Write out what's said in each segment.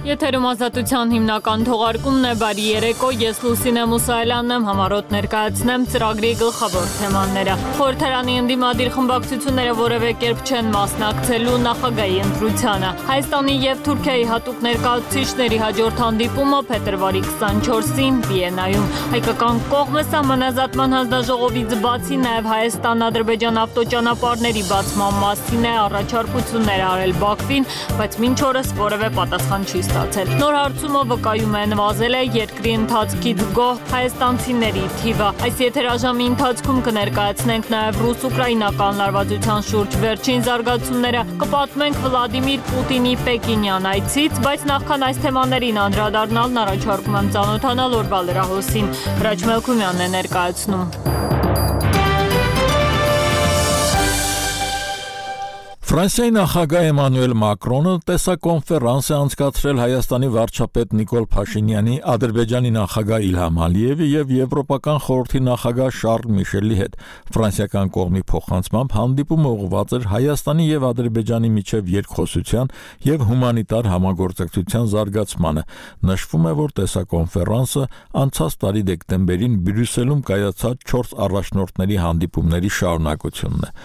Եթերում ազատության հիմնական թողարկումն է, բարի երեկո, ես Լուսինե Մուսայելյանն եմ, համառոտ ներկայացնեմ ծրագրի գլխավոր թեմաները։ Խորհրդարանի ընդդիմադիր խմբակցությունները որևէ կերպ չեն մասնակցելու նախագահի ընտրությանը։ Հայաստանի և Թուրքիայի հատուկ ներկայացուցիչների հաջորդ հանդիպումը փետրվարի 24-ին Վիեննայում։ Հայկական կողմը սահմանազատման հանձնաժողովից բացի նաև Հայաստան-Ադրբեջան ավտոճանապարհների բացման մասին է առաջարկություններ արել Բաքվին, բայց մինչ օրս որևէ պատասխան չի ստացել։ Նոր հարցումը վկայում է նվազել է երկրի ընթացքից գոհ հայաստանցիների թիվը։ Այս եթերաժամի ընթացքում կներկայացնենք նաև ռուս-ուկրաինական լարվածության շուրջ վերջին զարգացումները, կպատմենք Վլադիմիր Պուտինի Պեկինյան այցից, բայց նախքան այս թեմաներին անդրադառնալն առաջարկում եմ ծանոթանալ օրվա լրահոսին։ Հրաչ Մելքումյանն է ներկայացնում։ Ֆրանսիայի նախագահ Էմանուել Մակրոնը տեսակոնֆերանս է անցկացրել Հայաստանի վարչապետ Նիկոլ Փաշինյանի, Ադրբեջանի նախագահ Իլհամ Ալիևի և Եվրոպական խորհրդի նախագահ Շարլ Միշելի հետ։ Ֆրանսիական կողմի փոխանցմամբ հանդիպումը ուղղված էր Հայաստանի և Ադրբեջանի միջև երկխոսության և հումանիտար համագործակցության զարգացմանը։ Նշվում է, որ տեսակոնֆերանսը անցած տարի դեկտեմբերին Բրյուսելում կայացած 4 առաջնորդների հանդիպումների շարունակությունն է։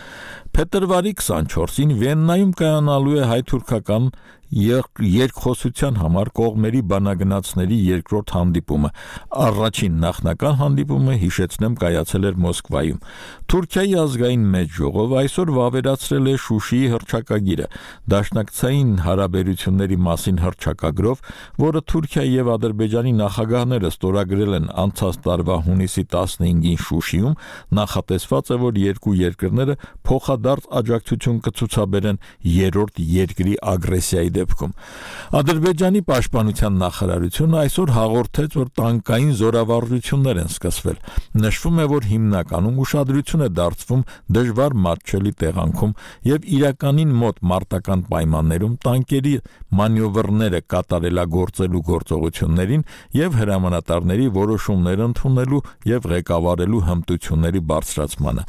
Փետրվարի 24-ին Վիեննայում կայանալու է հայ-թուրքական երկխոսության համար կողմերի բանագնացների երկրորդ հանդիպումը։ Առաջին նախնական հանդիպումը, հիշեցնեմ, կայացել էր Մոսկվայում։ Թուրքիայի ազգային մեծ ժողովը այսօր վավերացրել է Շուշիի հռչակագիրը, դաշնակցային հարաբերությունների մասին հռչակագրով, որը Թուրքիայի և Ադրբեջանի նախագահները ստորագրել են անցած տարվա հունիսի 15-ին Շուշիում, նախատեսված է, որ երկու երկրները փոխադարձ աջակցություն կցուցաբերեն երրորդ երկրի ագրեսիայի դեպքում։ Ադրբեջանի պաշտպանության նախարարությունը այսօր հաղորդեց, որ տանկային զորավարժություններ են սկսվել։ Նշվում է, որ հիմնականում ուշադրություն է դարձվում դժվար մատչելի տեղանքում և իրականին մոտ մարտական պայմաններում տանկերի մանևրները կատարելագործելու գործողություններին և հրամանատարների որոշումներ ընդունելու և ղեկավարելու հմտությունների բարձրացմանը։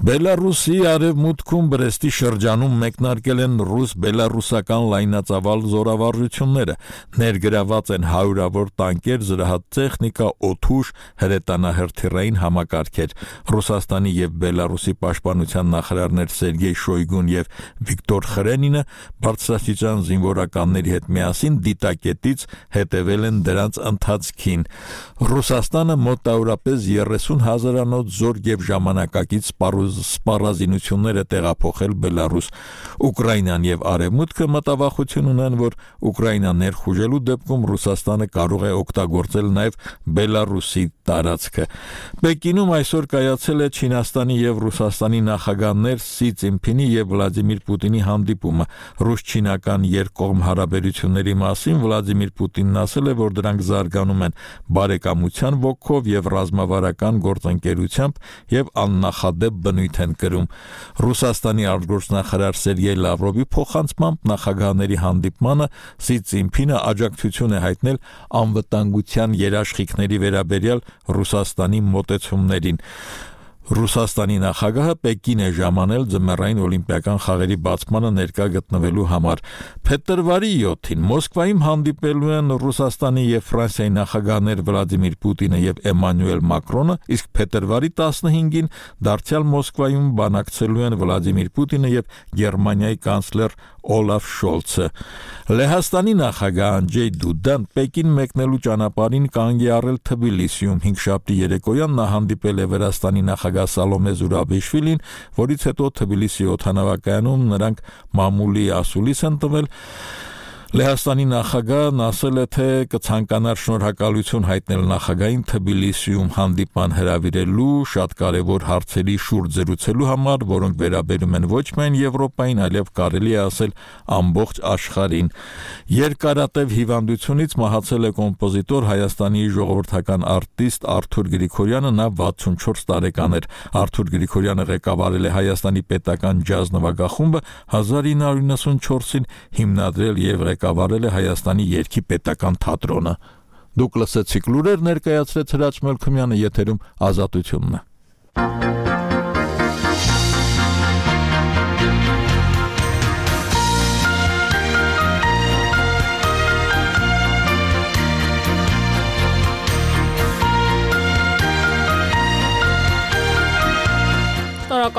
Բելարուսի արևմուտքում Բրեստի շրջանում մեկնարկել են ռուս-բելարուսական լայնածավալ զորավարժությունները, ներգրաված են հարյուրավոր տանկեր, զրահ տեխնիկա, օդուժ, հրետանահրթիռային համակարգեր։ Ռուսաստանի և Բելարուսի պաշտպանության նախարարներ Սերգեյ Շոյգուն և Վիկտոր Խրենինը բարձրաստիճան զինվորականների հետ միասին դիտակետից հետևել են դրանց ընթացքին։ Ռուսաստանը մոտավորապես 30,000-անոց զորք և ժամանակակից սպառազինություններ է տեղափոխել Բելարուս։ Ուկրաինան և Արևմուտքը մտավախություն ունեն, որ Ուկրաինա ներխուժելու դեպքում Ռուսաստանը կարող է օգտագործել նաև Բելարուսի տարածքը։ Պեկինում այսօր կայացել է Չինաստանի և Ռուսաստանի նախագահներ Սի Ցզինփինի և Վլադիմիր Պուտինի հանդիպումը։ Ռուս-չինական երկկողմ հարաբերությունների մասին Վլադիմիր Պուտինն ասել է, որ դրանք զարգանում են բարեկամության ոգով և ռազմավարական գործընկերությամբ և աննախադեպ բնույթ են կրում։ Ռուսաստանի արտգործնախարար Սերգեյ Լավրովի փոխանցմամբ նախագահների հանդիպմանը Սի Ցզինփինը աջակցություն է հայտնել անվտանգության երաշխիքների վերաբերյալ Ռուսաստանի մոտեցումներին։ Ռուսաստանի նախագահը Պեկին է ժամանել ձմեռային օլիմպիական խաղերի բացմանը ներկա գտնվելու համար։ Փետրվարի 7-ին Մոսկվայում հանդիպելու են Ռուսաստանի և Ֆրանսիայի նախագահներ Վլադիմիր Պուտինը և Էմանուել Մակրոնը, իսկ փետրվարի 15-ին դարձյալ Մոսկվայում բանակցելու են Վլադիմիր Պուտինը և Գերմանիայի կանցլեր Օլաֆ Շոլցը։ Լեհաստանի նախագահ Անդրեյ Դուդան Պեկին մեկնելու ճանապարհին կանգ է առել Թբիլիսիում։ Հինգշաբթի երեկոյան նա հանդիպել է Վրաստանի նախագահ Սալոմե Զուրաբիշվիլին, որից հետո Թբիլիսի օդանավակայանում նրանք մամուլի ասուլիս են տվել։ Լեհաստանի նախագահն ասել է, թե կցանկանար շնորհակալություն հայտնել նախագահին Թբիլիսիում հանդիպման հրավիրելու, շատ կարևոր հարցերի շուրջ զրուցելու համար, որոնք վերաբերում են ոչ միայն Եվրոպային, այլև կարելի է ասել ամբողջ աշխարհին։ Երկարատև հիվանդությունից մահացել է կոմպոզիտոր, Հայաստանի ժողովրդական արտիստ Արթուր Գրիգորյանը, նա 64 տարեկան էր։ Արթուր Գրիգորյանը ղեկավարել է Հայաստանի պետական ջազ նվագախումբը, 1994-ին հիմնադրել և ղեկավարել է Հայաստանի երգի պետական թատրոնը։ Դուք լսեցիք լուրեր, ներկայացրեց Հրաչ Մելքումյանը, եթերում Ազատությունն է։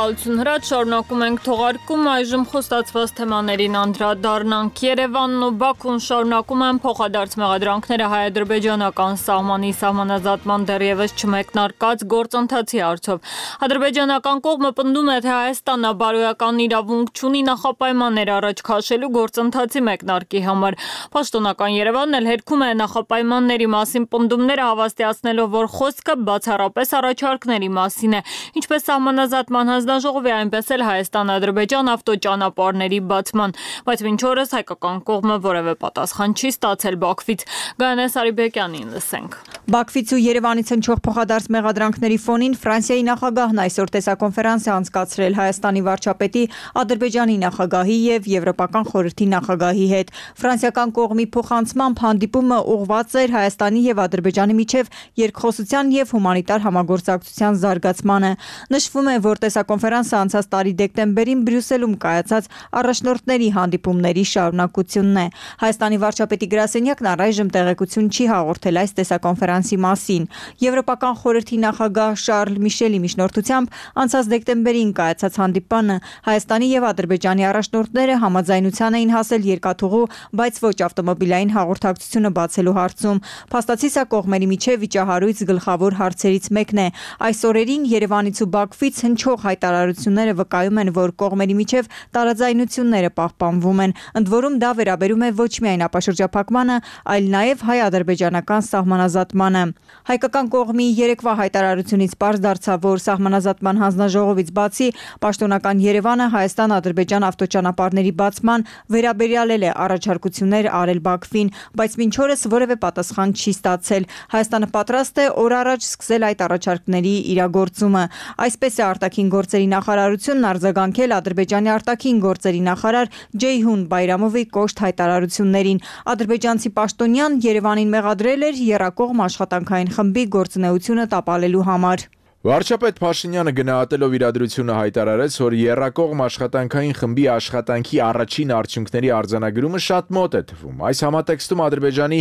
Շնորհակալություն Հրաչ, շարունակում ենք թողարկում, այժմ խոստացված թեմաներին անդրադառնանք։ Երևանն ու Բաքուն շարունակում են փոխադարձ մեղադրանքները հայ-ադրբեջանական սահմանի սահմանազատման դեռևս չմեկնարկած գործընթացի հարցով։ Ադրբեջանական կողմը պնդում է, թե Հայաստանը բարոյական իրավունք չունի նախապայմաններ առաջ քաշելու գործընթացի մեկնարկի համար։ Պաշտոնական Երևանն էլ հերքում է նախապայմանների մասին պնդումները, հավաստիացնելով, որ խոսքը բացառապես առաջարկների մասին է, ինչպես սահմանազատման հանձնաժողովի, այնպես էլ Հայաստան-Ադրբեջան ավտոճանապարհների բացման, բայց մինչ օրս հայկական կողմը որևէ պատասխան չի ստացել Բաքվից։ Գայանե Սարիբեկյանին լսենք։ Բաքվից ու Երևանից հնչող փոխադարձ մեղադրանքների ֆոնին Ֆրանսիայի նախագահն այսօր տեսակոնֆերանս է անցկացրել Հայաստանի վարչապետի, Ադրբեջանի նախագահի եւ Եվրոպական խորհրդի նախագահի հետ։ Ֆրանսիական կողմի փոխանցմամբ հանդիպումը ուղղված էր Հայաստանի եւ Ադրբեջանի միջև երկխոսության եւ հումանիտար համագործակցության զարգացմանը։ Նշվում է, որ տեսակոնֆերանսը անցած տարի դեկտեմբերին Բրյուսելում կայացած առաջնորդների հանդիպումների շարունակությունն է։ Հայաստանի վարչապետի գրասենյակն առայժմ տեղեկություն չի հաղորդել այս տեսակոնֆերանսի մասին։ Եվրոպական խորհրդի նախագահ Շարլ Միշելի միջնորդությամբ անցած դեկտեմբերին կայացած հանդիպանը Հայաստանի եւ Ադրբեջանի առաջնորդները համաձայնության էին հասել երկաթուղու, բայց ոչ ավտոմոբիլային հաղորդակցությունը բացելու հարցում։ Փաստացի սա կողմերի միջև վիճահարույց գլխավոր հարցերից մեկն է։ Այս օրերին Երևանից ու Բաքվից հնչող հայտարարությունները վկայում են, որ կողմերի միջև տարաձայնությունները պահպանվում են։ Ընդ որում դա վերաբերում է ոչ միայն ապաշրջափակմանը, այլ նաև հայ-ադրբեջանական սահմանազատմանը։ Հայկական կողմի երեկվա հայտարարությունից պարզ դարձավ, որ սահմանազատման հանձնաժողովից բացի պաշտոնական Երևանը Հայաստան-Ադրբեջան ավտոճանապարհների բացման վերաբերյալ է առաջարկություններ արել Բաքվին, բայց մինչ օրս որևէ պատասխան չի ստացել։ Հայաստանը պատրաստ է օր առաջ սկսել այդ առաջարկների իրագործումը։ Այսպես է արտաքին գործերի նախարարությունն արձագանքել Ադրբեջանի արտաքին գործերի նախարար Ջեյհուն Բայրամովի կոշտ հայտարարություններին։ Ադրբեջանցի պաշտոնյան Երևանին մեղադրել էր եռակողմ աշխատանքային խմբի գործունեությունը տապալելու համար։ Վարչապետ Փաշինյանը գնահատելով իրադրությունը հայտարարեց, որ եռակողմ աշխատանքային խմբի աշխատանքի առաջին արդյունքների արձանագրումը շատ մոտ է թվում։ Այս համատեքստում Ադրբեջանի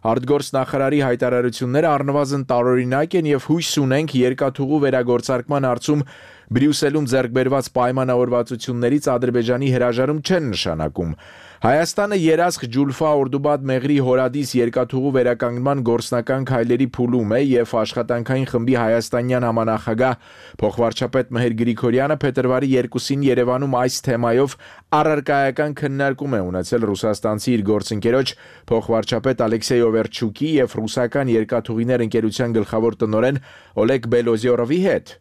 արտգործնախարարի հայտարարությունները առնվազն տարօրինակ են եւ հույս ունենք երկաթուղու վերագործարկման հարցում Բրյուսելում ձեռք բերված պայմանավորվածություններից Ադրբեջանի հրաժարում չեն նշանակում։ Հայաստանը երասխ Ջուլֆա Օրդուբադ Մեղրի հորադիս երկաթուղու վերականգնման գործնական քայլերի փուլում է եւ աշխատանքային խմբի հայաստանյան համանախագահ փոխվարչապետ Մհեր Գրիգորյանը փետրվարի 2-ին Երևանում այս թեմայով առարկայական քննարկում է ունեցել ռուսաստանցի իր գործընկերոջ փոխվարչապետ Ալեքսեյ Օվերչուկի եւ ռուսական երկաթուղիներ ընկերության գլխավոր տնօրեն Օլեգ Բելոզյորովի հետ։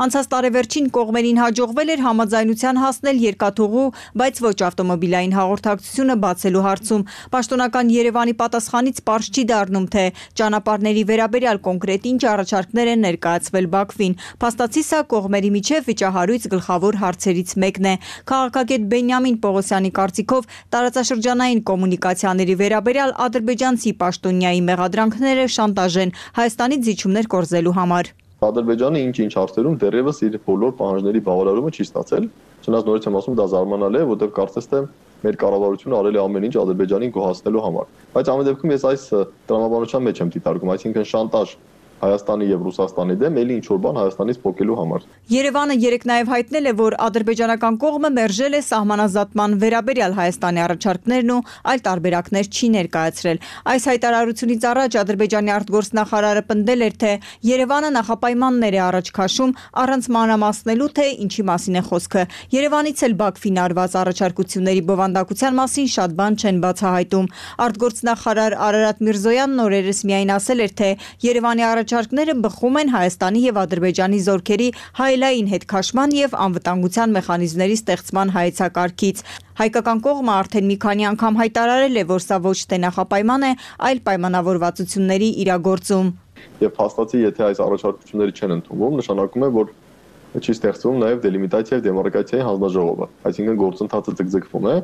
Անցած տարեվերջին կողմերին հաջողվել էր համաձայնության հասնել երկաթուղու, բայց ոչ ավտոմոբիլային հաղորդակցությունը բացելու հարցում։ Պաշտոնական Երևանի պատասխանից պարզ չի դառնում, թե ճանապարհների վերաբերյալ կոնկրետ ինչ առաջարկներ են ներկայացվել Բաքվին։ Փաստացի սա կողմերի միջև վիճահարույց գլխավոր հարցերից մեկն է։ Քաղաքագետ Բենյամին Պողոսյանի կարծիքով տարածաշրջանային կոմունիկացիաների վերաբերյալ ադրբեջանցի պաշտոնյայի մեղադրանքները շանտաժ են Հայաստանից զիջումներ կորզելու համար։ Ադրբեջանը ինչ-ինչ հարցերում դեռևս իր բոլոր պահանջների բավարարումը չի ստացել։ Չնայած նորից եմ ասում, դա զարմանալի է, որտեղ կարծես թե մեր կառավարությունը արել է ամեն ինչ Ադրբեջանին գոհացնելու համար։ Բայց ամեն դեպքում ես այս տրամաբանության մեջ եմ դիտարկում, այսինքն շանտաժ Հայաստանի եւ Ռուսաստանի դեմ էլի ինչ-որ բան Հայաստանից փոխելու համար։ Երևանը երեք նաև հայտնել է, որ ադրբեջանական կողմը մերժել է սահմանազատման վերաբերյալ Հայաստանի առաջարկներն ու այլ տարբերակներ չի ներկայացրել։ Այս հայտարարությունից առաջ Ադրբեջանի արտգործնախարարը պնդել էր, թե Երևանը նախապայմաններ է առաջ քաշում առանց մանրամասնելու, թե ինչի մասին է խոսքը։ Երևանից էլ Բաքվին արված առաջարկությունների բովանդակության մասին շատ բան չեն բացահայտում։ Արտգործնախարար Արարատ Միրզոյանն օրերս միայն ասել էր, թե Երևանի առաջարկները բխում են Հայաստանի եւ Ադրբեջանի զորքերի հայելային հետքաշման եւ անվտանգության մեխանիզմների ստեղծման հայեցակարգից։ Հայկական կողմը արդեն մի քանի անգամ հայտարարել է, որ սա ոչ թե նախապայման է, այլ պայմանավորվածությունների իրագործում։ Եվ փաստացի, եթե այս առաջարկությունները չեն ընդունվում, նշանակում է, որ չի ստեղծվում նաև դելիմիտացիա եւ դեմարկրատիայի հանձնաժողովը, այսինքն գործընթացը ձգձգվում է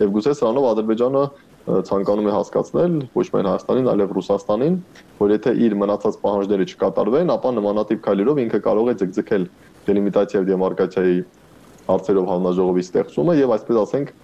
եւ գուցե սրանով Ադրբեջանը ցանկանում է հասկացնել ոչ միայն Հայաստանին, այլև Ռուսաստանին, որ եթե իր մնացած պահանջները չկատարվեն, ապա նմանատիպ քայլերով ինքը կարող է ձգձգել դելիմիտացիա եւ դեմարկրատիայի հարցերով հանձնաժողովի ստեղծումը եւ այսպես ասենք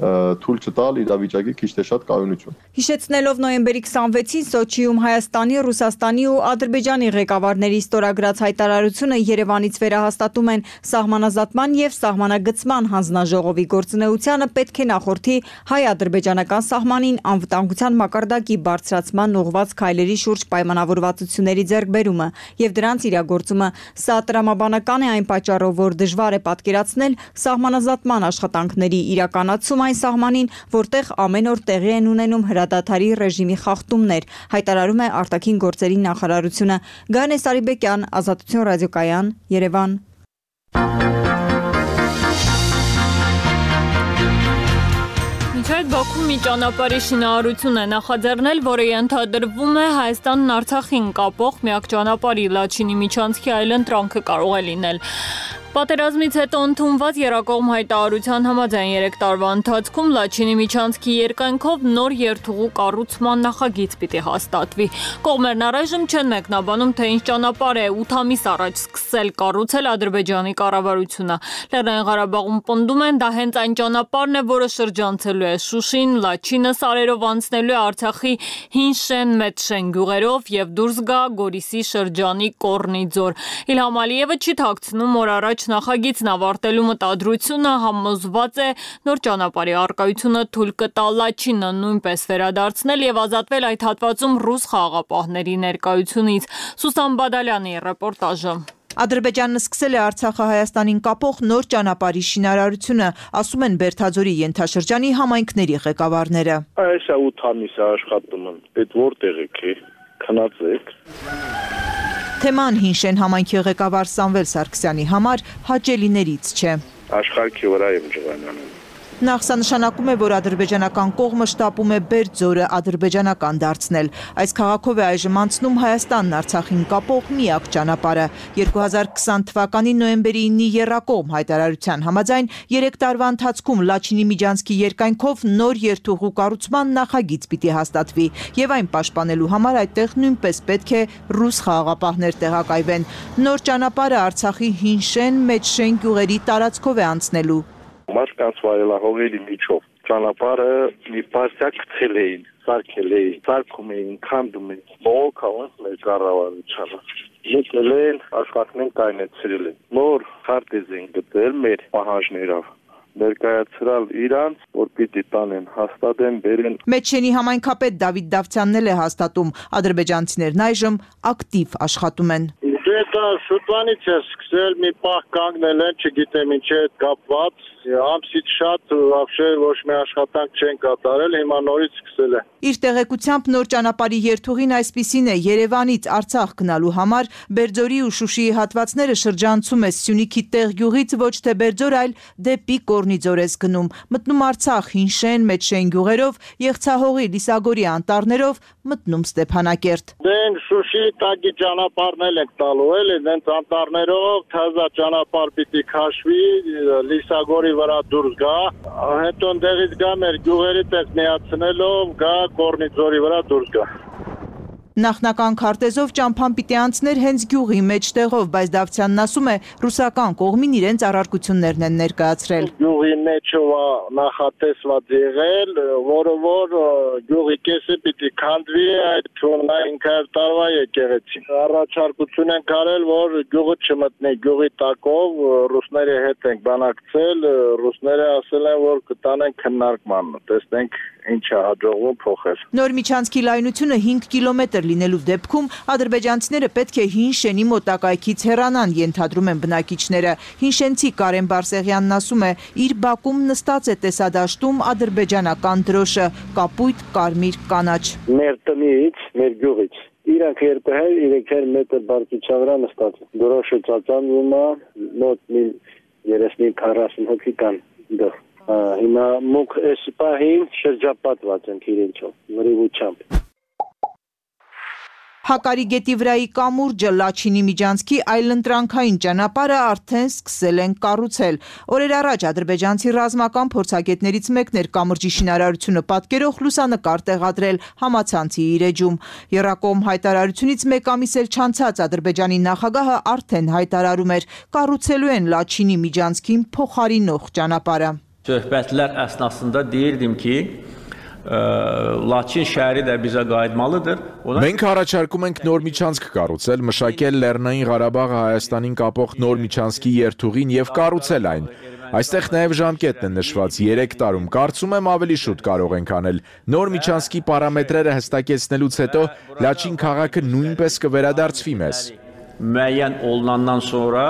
թույլ չտալ իրավիճակի քիչ թե շատ կայունություն։ Հիշեցնելով նոյեմբերի 26-ին Սոչիում Հայաստանի, Ռուսաստանի ու Ադրբեջանի ղեկավարների ստորագրած հայտարարությունը Երևանից վերահաստատում են սահմանազատման եւ սահմանագծման հանձնաժողովի գործունեությանը պետք է նախորդի հայ-ադրբեջանական սահմանին անվտանգության մակարդակի բարձրացման ուղղված քայլերի շուրջ պայմանավորվածությունների ձեռքբերումը եւ դրանց իրագործումը։ Սա տրամաբանական է այն պատճառով, որ դժվար է պատկերացնել սահմանազատման աշխատանքների իրականացում այն սահմանին, որտեղ ամեն օր տեղի են ունենում հրադադարի ռեժիմի խախտումներ, հայտարարում է արտաքին գործերի նախարարությունը։ Գայանե Սարիբեկյան, Ազատություն ռադիոկայան, Երևան։ Այդ Բաքու մի ճանապարհի շինարարություն է նախաձեռնել, որը ենթադրվում է Հայաստանն Արցախին կապող միակ ճանապարհի Լաչինի միջանցքի այլընտրանքը կարող է լինել։ Պատերազմից հետո ընդունված երկկողմ հայտարարության համաձայն 3 տարվա ընթացքում Լաչինի միջանցքի երկայնքով նոր երթուղու կառուցման նախագիծ պիտի հաստատվի։ Կողմերն առայժմ չեն մեկնաբանում, թե ինչ ճանապարհ է 8 ամիս առաջ սկսել կառուցել Ադրբեջանի կառավարությունը։ Լեռնային Ղարաբաղում պնդում են, դա հենց այն ճանապարհն է, որը շրջանցելու է Շուշին, Լաչինը սարերով անցնելու է Արցախի Հին Շեն, Մեծ Շեն գյուղերով եւ դուրս գա Գորիսի շրջանի Կորնի ձոր։ Իլհամ Ալիևը չի թաքցնում, որ առաջ նախագիծն ավարտելու մտադրությունը համոզված է նոր ճանապարհի առկայությունը թույլ կտա Լաչինը նույնպես վերադարձնել եւ ազատվել այդ հատվածում ռուս խաղաղապահների ներկայությունից։ Սուսան Բադալյանի ռեպորտաժը։ Ադրբեջանն սկսել է Արցախը Հայաստանին կապող նոր ճանապարհի շինարարությունը, ասում են Բերթաձորի ենթաշրջանի համայնքների ղեկավարները։ Այս 8 ամիս է աշխատում են, այդ որտեղ եք, քնածեք։ Թեման Հին Շեն համայնքի ղեկավար Սամվել Սարգսյանի համար հաճելիներից չէ։ Աշխարհի վրա եմ ջղանանում։ Նախ սա նշանակում է, որ ադրբեջանական կողմը շտապում է Բերձորը ադրբեջանական դարձնել։ Այս քաղաքով է այժմ անցնում Հայաստանն Արցախին կապող միակ ճանապարհը։ 2020 թվականի նոյեմբերի 9-ի եռակողմ հայտարարության համաձայն 3 տարվա ընթացքում Լաչինի միջանցքի երկայնքով նոր երթուղու կառուցման նախագիծ պիտի հաստատվի եւ այն պաշտպանելու համար այդտեղ նույնպես պետք է ռուս խաղաղապահներ տեղակայվեն։ Նոր ճանապարհը Արցախի Հին Շեն, Մեծ Շեն գյուղերի տարածքով է անցնելու։ Մարդկանց վայելահողերի միջով ճանապարհը մի պարտիա գցել էին, սարքել էին, սարքում էին, քանդում էին, բողոքավանց մեր կառավարությանը։ Եկել են, աշխատանքն կայնեցրել են։ Նոր քարտեզ են գտել մեր պահանջներով։ Ներկայացրալ իրանց, որ պիտի տանեն, հաստատեն, բերեն։ Մեջշենի համայնքապետ Դավիթ Դավթյանն է հաստատում, ադրբեջանցիներն այժմ ակտիվ աշխատում են։ Դա շուտվանից է սկսել, մի պահ կանգնել են, չգիտեմ ինչ է կապված, ամսից շատ вообще ոչ մի աշխատանք չեն կատարել, հիմա նորից սկսել է։ Իր տեղեկությամբ նոր ճանապարհի երթուղին այսպիսին է Երևանից Արցախ գնալու համար Բերձորի ու Շուշիի հատվածները շրջանցում է Սյունիքի տեղ գյուղից ոչ թե Բերձոր, այլ դեպի Կորնի ձոր է գնում, մտնում Արցախ Հին Շեն, Մեծ Շեն գյուղերով, Եղցահողի, Լիսագորի անտառներով, մտնում Ստեփանակերտ։ Դեն Շուշիի տակի ճանապարհն ենք տալու, էլի, դենց անտառներով թազա ճանապարհ պիտի քաշվի, Լիսագորի վրա դուրս գա, հետո ընդեղից գա մեր գյուղերից էլ միացնելով գա Կորնի ձորի վրա դուրս գա։ Նախնական քարտեզով ճամփան պիտի անցներ հենց գյուղի մեջտեղով, բայց Դավթյանն ասում է, ռուսական կողմին իրենց առարկություններն են ներկայացրել։ Գյուղի մեջով նախատեսված եղել, որը որ գյուղի կեսը պիտի քանդվի այդ 500 տարվա եկեղեցին։ Առաջարկություն են կարել, որ գյուղը չմտնի գյուղի տակով, ռուսների հետ ենք բանակցել, ռուսները ասել են, որ կտանեն քննարկման, տեսնենք ինչ է հաջողվում փոխել։ Նոր միջանցքի լայնությունը 5 կիլոմետր լինելու դեպքում ադրբեջանցիները պետք է Հին Շենի մոտակայքից հեռանան, ենթադրում են բնակիչները։ Հինշենցի Կարեն Բարսեղյանն ասում է, իր բակում նստած է տեսադաշտում ադրբեջանական դրոշը, կապույտ, կարմիր, կանաչ։ Մեր տնից, մեր գյուղից իրանք 200-300 մետր բարձրության վրա նստած են։ Դրոշը ծածանվում է, մոտ 35-40 հոգի կան դեռ։ Հիմա մուկ այս պահին շրջապատված ենք իրենցով, մրիվությամբ։ Հակարի գետի վրայի կամուրջը Լաչինի միջանցքի այլընտրանքային ճանապարհը արդեն սկսել են կառուցել։ Օրեր առաջ ադրբեջանցի ռազմական փորձագետներից մեկն էր կամրջի շինարարությունը պատկերող լուսանկար տեղադրել համացանցի իր էջում։ Եռակողմ հայտարարությունից մեկ ամիս էլ չանցած Ադրբեջանի նախագահը արդեն հայտարարում էր, կառուցելու են Լաչինի միջանցքին փոխարինող ճանապարհը։ Söhbətlər əsnasında deyirdim ki, Laçin şəhəri də bizə qayıtmalıdır. Մենք առաջարկում ենք նոր միջանցք կառուցել, մշակել Լեռնային Ղարաբաղը Հայաստանին կապող նոր միջանցքի երթուղին եւ կառուցել այն։ Այստեղ նաև ժամկետն է նշված 3 տարում, կարծում եմ ավելի շուտ կարող ենք անել։ Նոր միջանցքի պարամետրերը հստակեցնելուց հետո Լաչին քաղաքը նույնպես կվերադարձվի մեզ։ Müəyyən olunandan sonra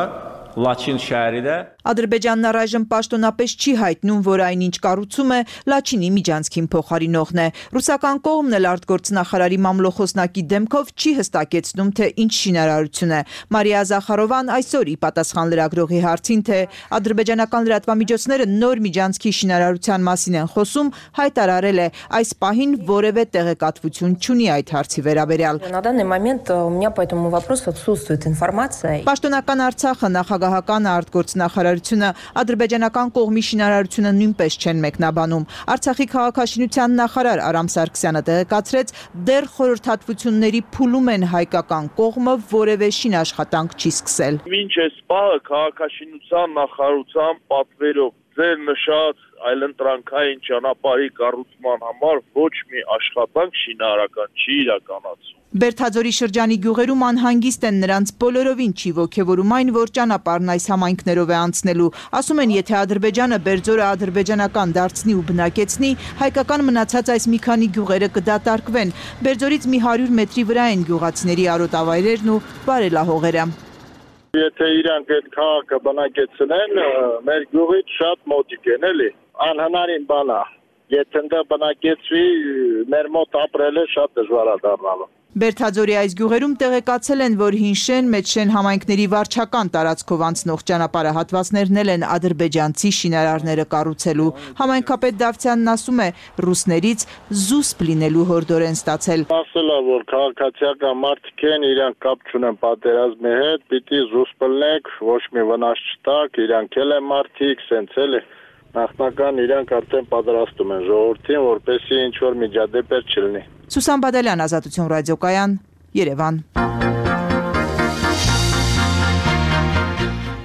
Laçin şəhəri də Ադրբեջանն առայժմ պաշտոնապես չի հայտնում, որ այնինչ կառուցում է Լաչինի միջանցքին փոխարինողն է։ Ռուսական կողմն էլ արտգործնախարարի մամլոխոսնակի դեմքով չի հստակեցնում, թե ինչ շինարարություն է։ Մարիա Զախարովան այսօր ի պատասխան լրագրողի հարցին, թե ադրբեջանական լրատվամիջոցները նոր միջանցքի շինարարության մասին են խոսում, հայտարարել է այս պահին որևէ տեղեկատվություն չունի այդ հարցի վերաբերյալ։ На данный момент у меня по этому вопросу отсутствует информация. Պաշտոնական Արցախը նախագահական արտգործնախարար ադրբեջանական կողմի շինարարությունը նույնպես չեն մեկնաբանում։ Արցախի քաղաքաշինության նախարար Արամ Սարգսյանը տեղեկացրեց, դեռ խորհրդատվությունների փուլում են հայկական կողմը որևէ շինաշխատանք չի սկսել։ Մինչ այս պահը քաղաքաշինության նախարարության պատվերով ձեր նշած այլընտրանքային ճանապարհի կառուցման համար ոչ մի աշխատանք շինարարական չի իրականացվում։ Բերդաձորի շրջանի գյուղերում անհանգիստ են, նրանց բոլորովին չի ոգևորում այն, որ ճանապարհն այս համայնքներով է անցնելու։ Ասում են, եթե Ադրբեջանը Բերձորը ադրբեջանական դարձնի ու բնակեցնի, հայկական մնացած այս մի քանի գյուղերը կդատարկվեն։ Բերձորից մի 100 մետրի վրա են գյուղացիների արոտավայրերն ու բարելահողերը։ Եթե իրանք այդ քաղաքը բնակեցնեն, մեր գյուղից շատ մոտիկ են, էլի։ Անհնարին բան է։ Եթե ընդ բնակեցվի, մեր մոտ ապրելը շատ դժվար է դառնալու։ Բերդաձորի այս գյուղերում տեղեկացել են, որ Հինշեն, Մեջշեն համայնքների վարչական տարածքով անցնող ճանապարհը հատվածներն են ադրբեջանցի շինարարները կառուցելու։ Համայնքապետ Դավթյանն ասում է, ռուսներից զուսպ լինելու հորդորեն ստացել։ Ասել է, որ քաղաքացիական մարդիկ են, իրանք կապ չունեն պատերազմի հետ, պիտի զուսպ լինեք, ոչ մի վնաս չտաք, իրանք էլ են մարդիկ, սենց էլ է։ Նախնական իրանք արդեն պատրաստում են ժողովրդին, որպեսզի ինչ որ միջադեպեր չլինի։ Սուսան Բադալյան, Ազատություն ռադիոկայան, Երևան։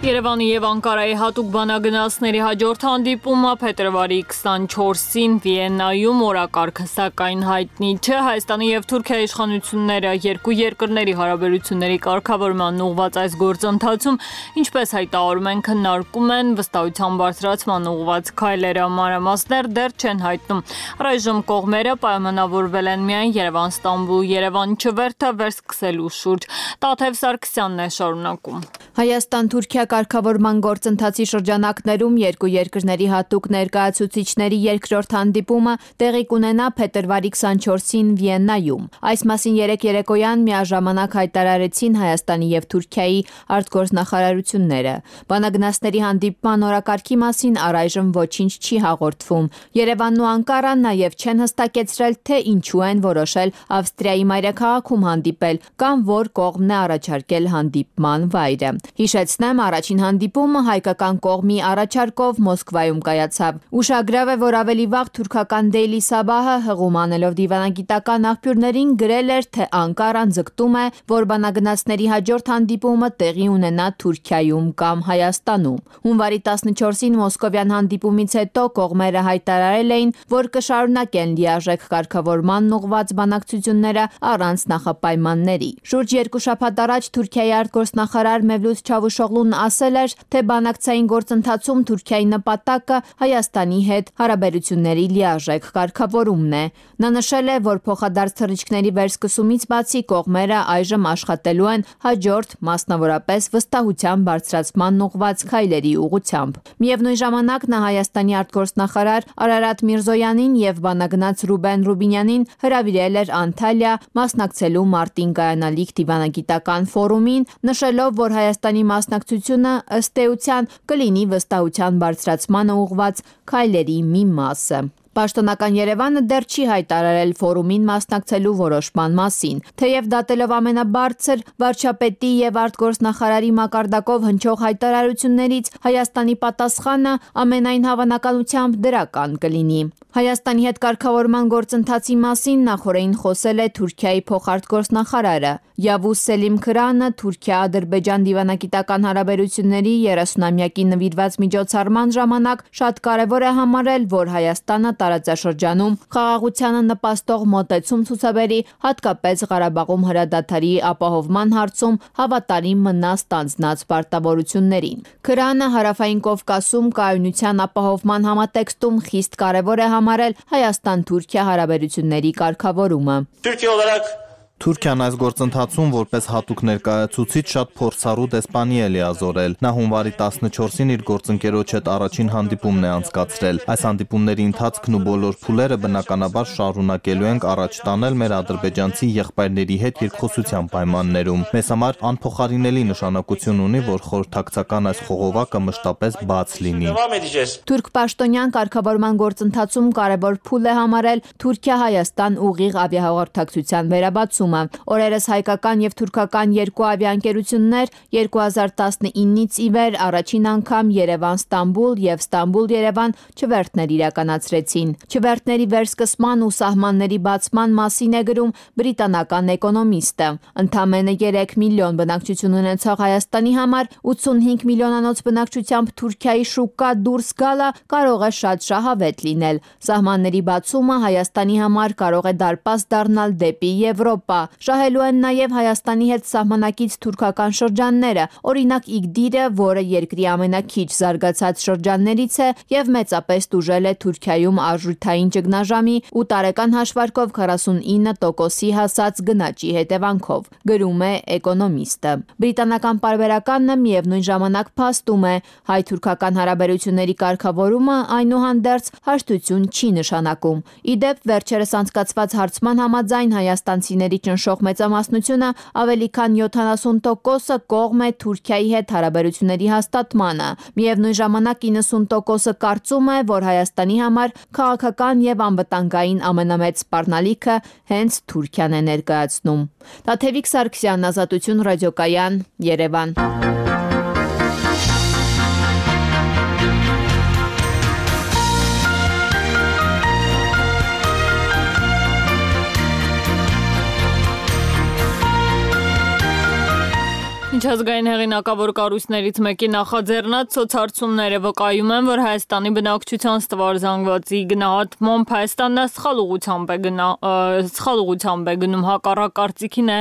Երևանի եւ Անկարայի հատուկ բանագնացների հաջորդ հանդիպումը փետրվարի 24-ին Վիեննայում օրակարգը սակայն հայտնի չէ։ Հայաստանի եւ Թուրքիայի իշխանությունները երկու երկրների հարաբերությունների կարգավորման ուղղված այս գործընթացում, ինչպես հայտարարում են, քննարկում են վստահության բարձրացման ուղղված քայլերը, մանրամասներ դեռ չեն հայտնում։ Առայժմ կողմերը պայմանավորվել են միայն Երևան-Ստամբուլ, Երևան-Չվերթը վերսկսելու շուրջ։ Տաթև Սարգսյանն է շարունակում։ Հայաստան-Թուրքիա կարգավորման գործընթացի շրջանակներում երկու երկրների հատուկ ներկայացուցիչների երկրորդ հանդիպումը տեղի կունենա փետրվարի 24-ին Վիեննայում։ Այս մասին երեկ երեկոյան միաժամանակ հայտարարեցին Հայաստանի եւ Թուրքիայի արտգործնախարարությունները։ Բանագնացների հանդիպման օրակարգի մասին առայժմ ոչինչ չի հաղորդվում։ Երևանն ու Անկարան նաեւ չեն հստակեցրել, թե ինչու են որոշել Ավստրիայի մայրաքաղաքում հանդիպել կամ որ կողմն է առաջարկել հանդիպման վայրը։ Հիշեցնեմ, առաջին հանդիպումը հայկական կողմի առաջարկով Մոսկվայում կայացավ։ Ուշագրավ է, որ ավելի վաղ թուրքական Daily Sabah-ը հղում անելով դիվանագիտական աղբյուրներին գրել էր, թե Անկարան ձգտում է, որ բանագնացների հաջորդ հանդիպումը տեղի ունենա Թուրքիայում կամ Հայաստանում։ Հունվարի 14-ին մոսկովյան հանդիպումից հետո կողմերը հայտարարել էին, որ կշարունակեն լիարժեք կարգավորման ուղղված բանակցությունները առանց նախապայմանների։ Շուրջ 2 շաբաթ առաջ Թուրքիայի արտգործնախարար Մևլութ Չավուշօղլուն ասել էր, թե բանակցային գործընթացում Թուրքիայի նպատակը Հայաստանի հետ հարաբերությունների լիարժեք կարգավորումն է։ Նա նշել է, որ փոխադարձ թռիչքների վերսկսումից բացի կողմերը այժմ աշխատելու են հաջորդ, մասնավորապես վստահության բարձրացման ուղղված քայլերի ուղղությամբ։ Միևնույն ժամանակ նա Հայաստանի արտգործնախարար Արարատ Միրզոյանին եւ բանագնաց Ռուբեն Ռուբինյանին հրավիրել էր Անտալիա մասնակցելու մարտին կայանալիք դիվանագիտական ֆորումին, նշելով, որ Հայաստանի մասնակցությունը ըստ էության կլինի վստահության բարձրացմանը ուղղված քայլերի մի մասը։ Պաշտոնական Երևանը դեռ չի հայտարարել ֆորումին մասնակցելու որոշման մասին, թեև դատելով ամենաբարձր վարչապետի եւ արտգործնախարարի մակարդակով հնչող հայտարարություններից Հայաստանի պատասխանը ամենայն հավանականությամբ դրական կլինի։ Հայաստանի հետ կարգավորման գործընթացի մասին նախորդին խոսել է Թուրքիայի փոխարտգործնախարարը։ Yavuz Selim Kırana Թուրքիա-Ադրբեջան դիվանագիտական հարաբերությունների 30-ամյակի նվիրված միջոցառման ժամանակ շատ կարևոր է համարել, որ Հայաստանը տարածաշրջանում խաղաղությանը նպաստող մոտեցում ցուցաբերի, հատկապես Ղարաբաղում հրադադարի ապահովման հարցում հավատարիմ մնա ստանձնած պարտավորություններին։ Kırana Հարավային Կովկասում կայունության ապահովման համատեքստում խիստ կարևոր է համարել Հայաստան-Թուրքիա հարաբերությունների կարգավորումը։ Թուրքիան այս գործընթացում որպես հատուկ ներկայացուցիչ շատ փորձառու դեսպանի է լիազորել։ Նա հունվարի 14-ին իր գործընկերոջ հետ առաջին հանդիպումն է անցկացրել։ Այս հանդիպումների ընթացքն ու բոլոր փուլերը բնականաբար շարունակելու ենք առաջ տանել մեր ադրբեջանցի եղբայրների հետ երկխոսության պայմաններում։ Մեզ համար անփոխարինելի նշանակություն ունի, որ խորհրդակցական այս խողովակը մշտապես բաց լինի։ Թուրք պաշտոնյան կարգավորման գործընթացում կարևոր փուլ է համարել Թուրքիա-Հայաստան ուղիղ ավիահաղորդակցության վերաբացումը։ Օրերս հայկական եւ թուրքական երկու ավիաընկերություններ 2019-ից ի վեր առաջին անգամ Երևան-Ստամբուլ եւ Ստամբուլ-Երևան չվերթներ իրականացրեցին։ Չվերթների վերսկսման ու սահմանների բացման մասին է գրում բրիտանական էկոնոմիստը։ Ընդամենը 3 միլիոն բնակչություն ունեցող Հայաստանի համար 85 միլիոնանոց բնակչությամբ Թուրքիայի շուկա դուրս գալը կարող է շատ շահավետ լինել։ Սահմանների բացումը Հայաստանի համար կարող է դարպաս դառնալ դեպի Եվրոպա։ Շահելու են նաև Հայաստանի հետ սահմանակից թուրքական շրջանները, օրինակ Իգդիրը, որը երկրի ամենաքիչ զարգացած շրջաններից է եւ մեծապես տուժել է Թուրքիայում արժութային ճգնաժամի ու տարեկան հաշվարկով 49%-ի հասած գնաճի հետևանքով, գրում է էկոնոմիստը։ Բրիտանական պարբերականն միևնույն ժամանակ փաստում է, հայ-թուրքական հարաբերությունների կարգավորումը այնուհանդերձ հաշտություն չի նշանակում։ Իդեպ վերջերս անցկացված հարցման համաձայն հայաստանցիների ճնշող մեծամասնությունը ավելի քան 70%-ը կողմ է Թուրքիայի հետ հարաբերությունների հաստատմանը։ Միևնույն ժամանակ 90%-ը կարծում է, որ Հայաստանի համար քաղաքական եւ անվտանգային ամենամեծ սպառնալիքը հենց Թուրքիան է ներկայացնում։ Տաթևիկ Սարգսյան, Ազատություն ռադիոկայան, Երևան։ Միջազգային հեղինակավոր կառույցներից մեկի նախաձեռնած սոցհարցումները վկայում են, որ Հայաստանի բնակչության ստվար զանգվածի գնահատմամբ Հայաստանն սխալ ուղղությամբ է գնում, հակառակ կարծիքին է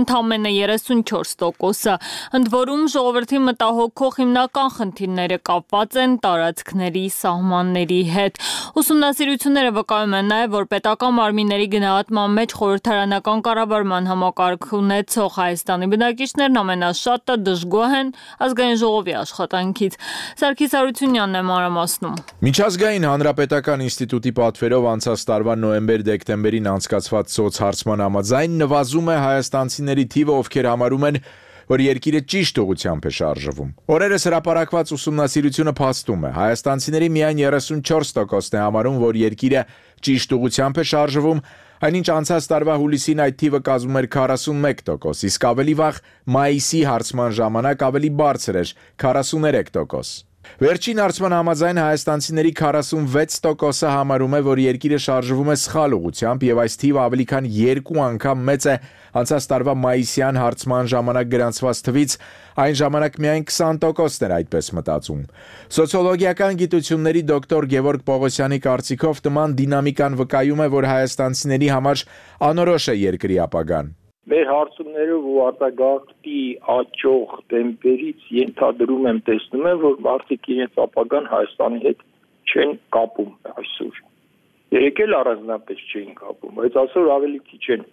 ընդամենը 34%-ը։ Ընդ որում ժողովրդի մտահոգող հիմնական խնդիրները կապված են տարածքների սահմանների հետ։ Ուսումնասիրությունները վկայում են նաև, որ պետական մարմինների գնահատման մեջ խորհրդարանական կառավարման համակարգ ունեցող Հայաստանի բնակիչներն ամենաշատը դժգոհ են ազգային ժողովի աշխատանքից։ Սարգիս Արությունյանն է մանրամասնում։ Միջազգային հանրապետական ինստիտուտի պատվերով անցած տարվա նոյեմբեր-դեկտեմբերին անցկացված սոցհարցման համաձայն նվազում է հայաստանցիների թիվը, ովքեր համարում են, որ երկիրը ճիշտ ուղղությամբ է շարժվում։ Օրերս հրապարակված ուսումնասիրությունը փաստում է, հայաստանցիների միայն 34%-ն է համարում, որ երկիրը ճիշտ ուղղությամբ է շարժվում, այնինչ անցած տարվա հուլիսին այդ թիվը կազմում էր 41%, իսկ ավելի վաղ մայիսի հարցման ժամանակ ավելի բարձր էր 43%։ Վերջին հարցման համաձայն հայաստանցիների 46%-ը համարում է, որ երկիրը շարժվում է սխալ ուղղությամբ եւ այս թիվը ավելի քան 2 անգամ մեծ է անցած տարվա մայիսյան հարցման ժամանակ գրանցված թվից, այն ժամանակ միայն 20%-ն էր այդպես մտածում։ Սոցիոլոգիական գիտությունների դոկտոր Գևորգ Պողոսյանի կարծիքով նման դինամիկան վկայում է, որ հայաստանցիների համար անորոշ է երկրի ապագան։ Մեր հարցումներով ու արտագաղթի աճող տեմպերից ենթադրում եմ, տեսնում եմ, որ մարդիկ իրենց ապագան Հայաստանի հետ չեն կապում այսօր։ Երեկ էլ առանձնապես չէին կապում, բայց այսօր ավելի քիչ են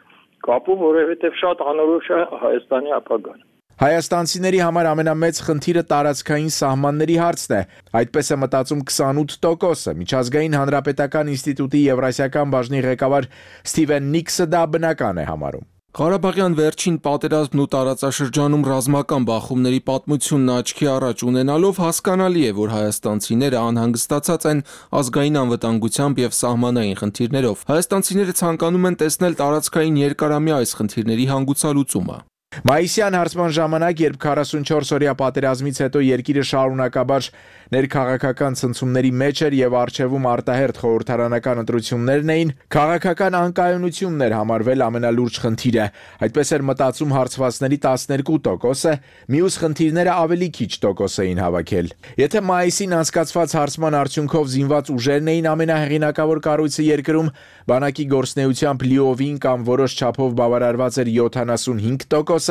կապում, որովհետև շատ անորոշ է Հայաստանի ապագան։ Հայաստանցիների համար ամենամեծ խնդիրը տարածքային սահմանների հարցն է, այդպես է մտածում 28%-ը։ Միջազգային հանրապետական ինստիտուտի Եվրասիական բաժնի ղեկավար Սթիվեն Նիքսը դա բնական է համարում։ Ղարաբաղյան վերջին պատերազմն ու տարածաշրջանում ռազմական բախումների պատմությունն աչքի առաջ ունենալով հասկանալի է, որ հայաստանցիները անհանգստացած են ազգային անվտանգությամբ եւ սահմանային խնդիրներով։ Հայաստանցիները ցանկանում են տեսնել տարածքային երկարամյա այս խնդիրների հանգուցալուծումը։ Մայիսյան հարցման ժամանակ, երբ 44-օրյա պատերազմից հետո երկիրը շարունակաբար ներքաղաքական ցնցումների մեջ էր եւ առջևում արտահերթ խորհրդարանական ընտրություններն էին, քաղաքական անկայունությունն էր համարվել ամենալուրջ խնդիրը։ Այդպես էր մտածում հարցվածների 12%-ը, մյուս խնդիրները ավելի քիչ տոկոս էին հավաքել։ Եթե մայիսին անցկացված հարցման արդյունքով զինված ուժերն էին ամենահեղինակավոր կառույցը երկրում, բանակի գործնեությամբ լիովին կամ որոշ չափով բավարարված էր 75%,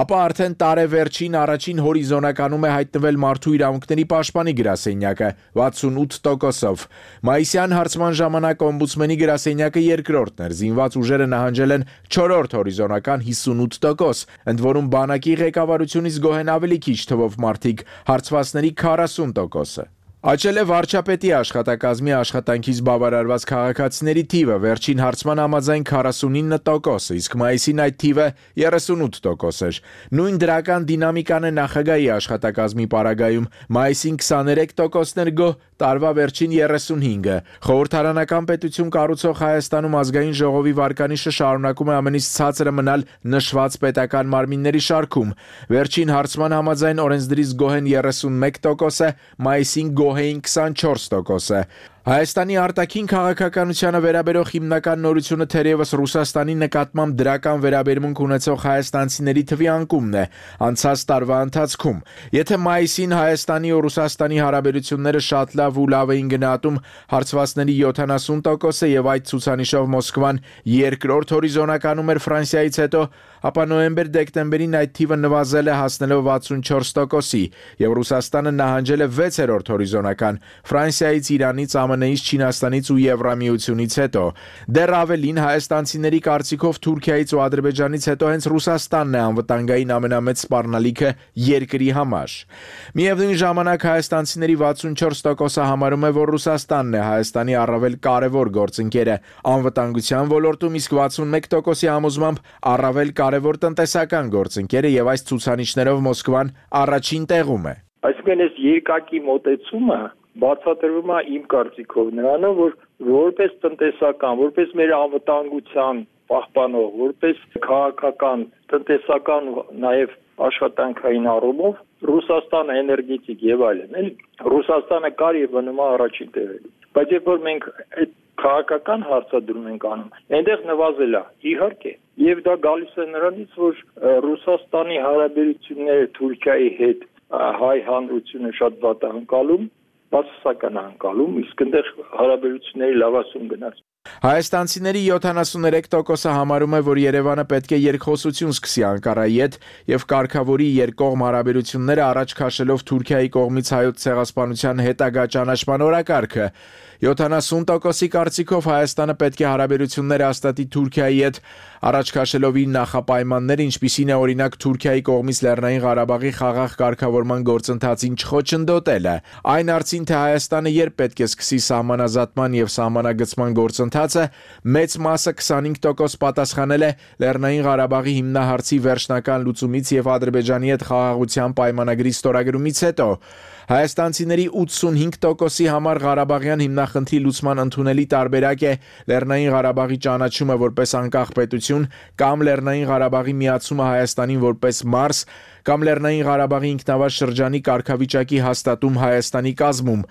ապա արդեն տարեվերջին առաջին հորիզոնականում է հայտնվել մարդու իրավունքների պաշտպանի գրասենյակը 68%-ով։ Մայիսյան հարցման ժամանակ օմբուդսմենի գրասենյակը երկրորդն էր, զինված ուժերը նահանջել են 4-րդ հորիզոնական 58%, ընդ որում բանակի ղեկավարությունից գոհ են ավելի քիչ թվով մարդիկ, հարցվածների 40%-ը։ Աճել է վարչապետի աշխատակազմի աշխատանքից բավարարված քաղաքացիների թիվը, վերջին հարցման համաձայն 49%, իսկ մայիսին այդ թիվը 38% էր։ Նույն դրական դինամիկան է նախագահի աշխատակազմի պարագայում, մայիսին 23%-ն էր գոհ, տարվա վերջին 35-ը։ Խորհրդարանական պետություն կառուցող Հայաստանում ազգային ժողովի վարկանիշը շարունակում է ամենից ցածրը մնալ նշված պետական մարմինների շարքում։ Վերջին հարցման համաձայն օրենսդրից գոհ են 31%-ը, մայիսին գոհ էին 24%-ը։ Հայաստանի արտաքին քաղաքականությանը վերաբերող հիմնական նորությունը թերևս Ռուսաստանի նկատմամբ դրական վերաբերմունք ունեցող հայաստանցիների թվի անկումն է անցած տարվա ընթացքում։ Եթե մայիսին Հայաստանի ու Ռուսաստանի հարաբերությունները շատ լավ ու լավ էին գնահատում հարցվածների 70%-ը եւ այդ ցուցանիշով Մոսկվան երկրորդ հորիզոնականում էր Ֆրանսիայից հետո, ապա նոյեմբեր-դեկտեմբերին այդ թիվը նվազել է հասնելով 64%-ի եւ Ռուսաստանը նահանջել է 6-րդ հորիզոնական Ֆրանսիայից, Իրանից, ԱՄՆ-ից, Չինաստանից ու Եվրամիությունից հետո։ Դեռ ավելին հայաստանցիների կարծիքով Թուրքիայից ու Ադրբեջանից հետո հենց Ռուսաստանն է անվտանգային ամենամեծ սպառնալիքը երկրի համար։ Միևնույն ժամանակ հայաստանցիների 64%-ը համարում է, որ Ռուսաստանն է Հայաստանի առավել կարևոր գործընկերը անվտանգության ոլորտում, իսկ 61%-ի համոզմամբ առավել կարևոր տնտեսական գործընկերը եւ այս ցուցանիշներով Մոսկվան առաջին տեղում է։ Այսինքն այս երկակի մոտեցումը բացատրվում է իմ կարծիքով նրանով, որ որպես տնտեսական, որպես մեր անվտանգության պահպանող, որպես քաղաքական, տնտեսական, նաև աշխատանքային առումով Ռուսաստանը էներգետիկ եւ այլն, էլի Ռուսաստանը կար եւ մնում է առաջին տեղում։ Բայց երբ որ մենք այդ քաղաքական հարցադրում ենք անում, այնտեղ նվազել է, իհարկե, եւ դա գալիս է նրանից, որ Ռուսաստանի հարաբերությունները Թուրքիայի հետ հայ հանրությունը շատ վատ է անցալում, բացասական անցալում, իսկ այնտեղ հարաբերությունների լավացում գնաց։ Հայաստանցիների 73%-ը համարում է, որ Երևանը պետք է երկխոսություն սկսի Անկարայի հետ եւ կարգավորի երկկողմ հարաբերությունները առաջ քաշելով Թուրքիայի կողմից հայոց ցեղասպանության հետագա ճանաչման օրակարգը։ 70%-ի կարծիքով Հայաստանը պետք է հարաբերությունները հաստատի Թուրքիայի հետ, առաջ քաշելով իր նախապայմանները, ինչպիսին է օրինակ Թուրքիայի կողմից Լեռնային Ղարաբաղի խաղաղ կարգավորման գործընթացին չխոչընդոտելը։ Այն արծին, թե Հայաստանը երբ պետք է սկսի սահմանազատման եւ սահմանագծման գործընթացը, մեծ մասը 25% պատասխանել է Լեռնային Ղարաբաղի հիմնահարցի վերջնական լուծումից եւ Ադրբեջանի հետ խաղաղության պայմանագրի ստորագրումից հետո։ Հայաստանցիների 85%-ի համար Ղարաբաղյան հիմնախնդրի լուծման ընդունելի տարբերակ է Լեռնային Ղարաբաղի ճանաչումը որպես անկախ պետություն կամ Լեռնային Ղարաբաղի միացումը Հայաստանին որպես մարզ կամ Լեռնային Ղարաբաղի ինքնավար շրջանի կարգավիճակի հաստատում Հայաստանի կազմում։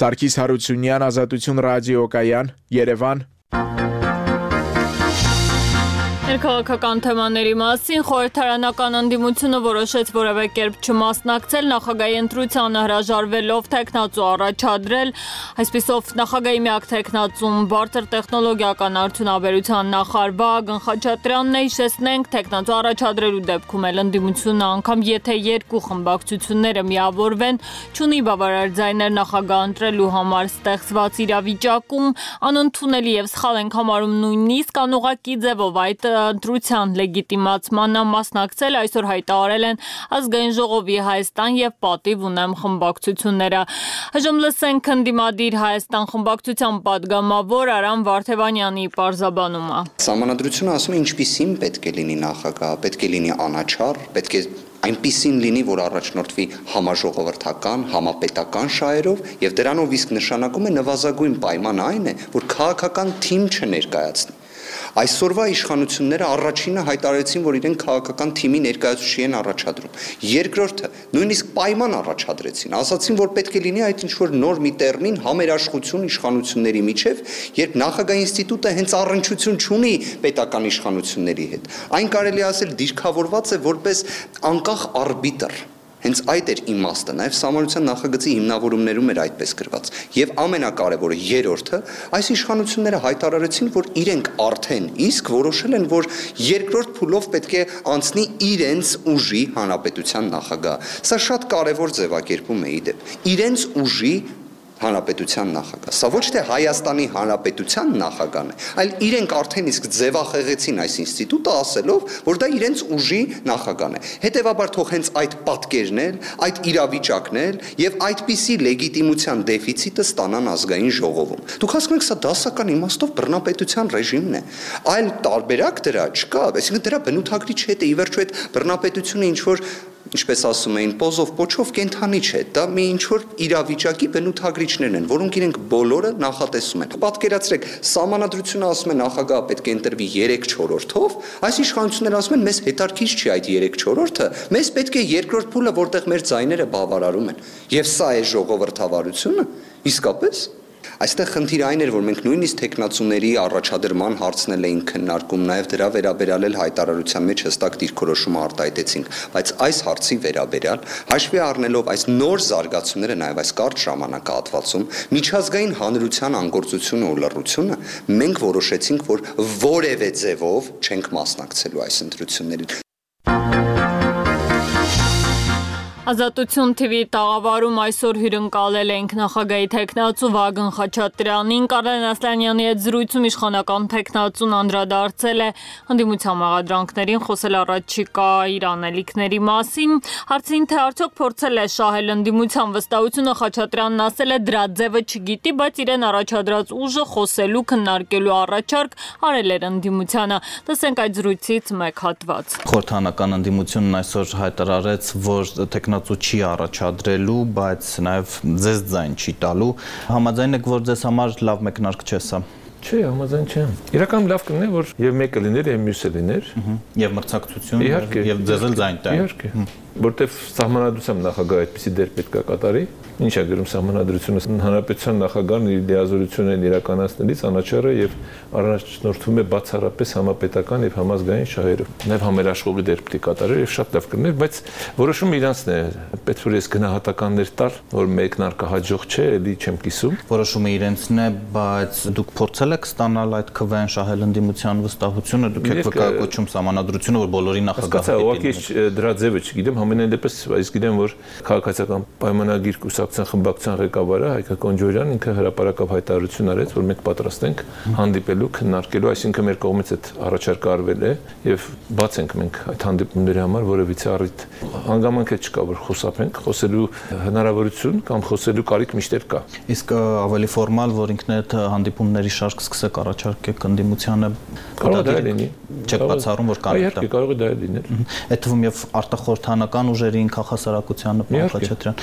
Սարգիս Հարությունյան, Ազատություն ռադիոկայան, Երևան։ Ներքաղաքական թեմաների մասին խորհրդարանական ընդդիմությունը որոշեց որևէ կերպ չմասնակցել նախագահի ընտրությանը հրաժարվելով թեկնածու առաջադրել, այսպիսով նախագահի միակ թեկնածուն բարձր տեխնոլոգիական արդյունաբերության նախարար Վահագն Խաչատրյանն է, հիշեցնենք, թեկնածու առաջադրելու դեպքում էլ ընդդիմությունը անգամ եթե երկու խմբակցությունները միավորվեն, չունի բավարար ձայներ նախագահ ընտրելու համար ստեղծված իրավիճակում, անընդունելի եւ սխալ ենք համարում նույնիսկ անուղղակի ձևով այդ ընտրության լեգիտիմացմանը մասնակցել այսօր հայտարարել են Ազգային ժողովի Հայաստան եւ Պատիվ ունեմ խմբակցությունները։ Այժմ լսենք ընդդիմադիր Հայաստան խմբակցության պատգամավոր Արամ Վարդևանյանի պարզաբանումը։ Սահմանադրությունը ասում է ինչպիսին պետք է լինի նախագահ, պետք է լինի անաչառ, պետք է այնպիսին լինի, որ առաջնորդվի համաժողովրդական, համապետական շահերով եւ դրանով իսկ նշանակում է նվազագույն պայման այն է, որ քաղաքական թիմ չներկայացնի։ Այսօրվա իշխանությունները առաջինը հայտարարեցին, որ իրենք քաղաքական թիմի ներկայացուցիչ են առաջադրում։ Երկրորդը նույնիսկ պայման առաջադրեցին, ասացին, որ պետք է լինի այդ ինչ-որ նոր մի տերմին համերաշխություն իշխանությունների միջև, երբ նախագահ ինստիտուտը հենց առնչություն չունի պետական իշխանությունների հետ։ Այն կարելի ասել դիրքավորված է որպես անկախ արբիտր։ Հենց այդ էր իմաստը, նաև Սահմանադրության նախագծի հիմնավորումներում էր այդպես գրված։ Եվ ամենակարևորը երրորդը, այս իշխանությունները հայտարարեցին, որ իրենք արդեն իսկ որոշել են, որ երկրորդ փուլով պետք է անցնի իրենց ուժի հանրապետության նախագահ։ Սա շատ կարևոր ձևակերպում է իդեպ։ Իրենց ուժի հանրապետության նախագահ։ Սա ոչ թե Հայաստանի հանրապետության նախագահն է, այլ իրենք արդեն իսկ ձևախեղեցին այս ինստիտուտը ասելով, որ դա իրենց ուժի նախագահն է։ Հետևաբար թող հենց այդ պատկերն էլ, այդ իրավիճակն էլ եւ այդպիսի լեգիտիմության դեֆիցիտը ստանան ազգային ժողովում։ Դուք հասկանում եք, սա դասական իմաստով բռնապետության ռեժիմն է։ Այլ տարբերակ դրա չկա, այսինքն դրա բնութագրիչ հետ է, ի վերջո այդ բռնապետությունը ինչ որ ինչպես ասում էին, պոզով պոչով կենթանի չէ, դա մի ինչ-որ իրավիճակի բնութագրիչներն են, որոնք իրենք բոլորը նախատեսում են։ Պատկերացրեք, Սահմանադրությունը ասում է նախագահը պետք է ընտրվի 3/4-ով, այս իշխանությունները ասում են, մեզ հետաքրքիր չի այդ 3/4-ը, մեզ պետք է երկրորդ փուլը, որտեղ մեր ձայները բավարարում են։ Եվ սա է ժողովրդավարությունը, իսկապես։ Այստեղ խնդիրը այն էր, որ մենք նույնիսկ տեխնացուների առաջադրման հարցնել էինք քննարկում, նաև դրա վերաբերյալ էլ հայտարարության մեջ հստակ դիրքորոշում արտահայտեցինք, բայց այս հարցի վերաբերյալ հաշվի առնելով այս նոր զարգացումները, նաև այս կարճ ժամանակահատվածում, միջազգային հանրության անգործությունը ու լռությունը, մենք որոշեցինք, որ որևէ ձևով չենք մասնակցելու այս ընտրություններին։ Ազատություն TV տաղավարում այսօր հյուրընկալել ենք նախագահի թեկնածու Վագն Խաչատրյանին, Կարեն Ասլանյանի հետ զրույցում իշխանական թեկնածուն անդրադարձել է ընդդիմության մեղադրանքներին, խոսել առաջիկա իր անելիքների մասին, հարցին թե արդյոք փորձել է շահել ընդդիմության վստահությունը, Խաչատրյանն ասել է դրա ձևը չգիտի, բայց իրեն առաջադրած ուժը խոսելու, քննարկելու առաջարկ արել էր ընդդիմությանը։ Տեսենք այդ զրույցից մեկ հատված։ Խորհրդանական ընդդիմությունն այսօր հայտարարեց, որ տեխնացու չի առաջադրելու, բայց նաև ձեզ ձայն չի տալու։ Համաձայն եք, որ ձեզ համար լավ մեկնարկ չէ սա։ Չէ, համաձայն չեմ։ Իրականում լավ կլիներ, որ եւ մեկը լիներ, եւ մյուսը լիներ, եւ մրցակցություն, եւ ձեզ էլ ձայն տա։ Իհարկե, որտեվ Սահմանադրությամբ նախագահը այդպիսի դեր պետք է կատարի։ Ինչ է գրում Սահմանադրությունը, հանրապետության նախագահն իր լիազորությունն իրականացնելիս անաչառ է եւ առաջնորդվում է բացառապես համապետական եւ համազգային շահերով։ Նաեւ համերաշխողի դեր պետք է կատարեր եւ շատ լավ կլիներ, բայց որոշումը իրանցն է։ Պետք է ես գնահատականներ տալ, որ մեկնարկը հաջող չէ, էլի չեմ կիսում։ Որոշումը իրանցն է, բայց դուք փորձել եք ստանալ այդ քվեն շահել ընդդիմության վստահությունը, դուք եք վկայակոչում Սահմանադրությունը, որ բոլորի նախագահը ուղղակի դրա ձևը չգիտեմ, համենայն դեպս այս գիտեմ, որ քաղաքացիական պայմանագիր կուսակցության խմբակցության ղեկավարը Հայկ Կոնջորյանն ինքը հրապարակավ հայտարարություն արեց, որ մենք պատրաստ ենք հանդիպելու, քննարկելու, այսինքն մեր կողմից այդ առաջարկը արվել է եւ բաց ենք մենք այդ հանդիպումների համար որևիցե առիթ հանգամանք չկա, որ խոսապենք, խոսելու հնարավորություն կամ խոսելու կարիք միշտ կա։ Իսկ ավելի ֆորմալ, որ ինքն այդ հանդիպումների շարք սկսեք առաջարկեք ընդդիմությանը, կարող է լինի։ Չեք բացառում, որ կարիք կա։ Կարող է դա լինել։ Այդ թվում եւ արտախորհրդանական ուժերին, քաղաքասարակությանը, պարոն Խաչատրյան։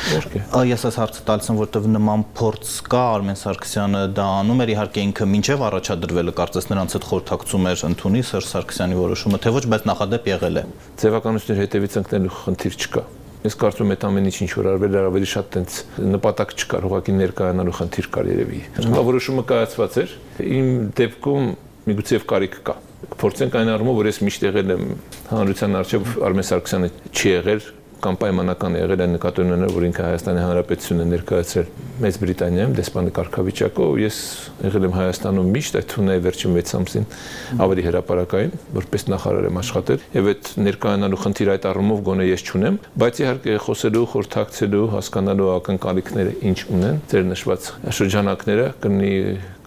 Ես այս հարցը տալիս եմ, որտեղ նման փորձ կա, Արմեն Սարգսյանը դա անում էր, իհարկե ինքը մինչև առաջադրվելը կարծես նրանց հետ խորհրդակցում էր ընդունի Սերժ Սարգսյանի որոշումը, թե ոչ, բայց նախադեպ եղել է։ Ձևականությունների հետևից ընկնելու խնդիր չկա։ Ես կարծում եմ այդ ամեն ինչ որ արվել էր ավելի շատ տենց նպատակ չկար, ուղղակի ներկայանալու խնդիր կար երևի։ Որոշումը կայացված էր։ Իմ դեպքում միգուցե կարիք կա։ Փորձենք այն առումով, որ ես միշտ եղել եմ հանրության առջև Արմեն Սարգսյանը չի եղել կամ պայմանական եղել են նկատի ունենալ, որ ինքը Հայաստանի Հանրապետությունն է ներկայացրել Մեծ Բրիտանիայում դեսպանի կարգավիճակով, ես եղել եմ Հայաստանում միշտ, այդ թվում է վերջին 6 ամսին ավելի հրապարակային, որպես նախարար եմ աշխատել, եւ այդ ներկայանալու խնդիր այդ առումով գոնե ես չունեմ, բայց իհարկե խոսելու, խորհրդակցելու, հասկանալու ակնկալիքները ինչ ունեն, ձեր նշված շրջանակները կլինի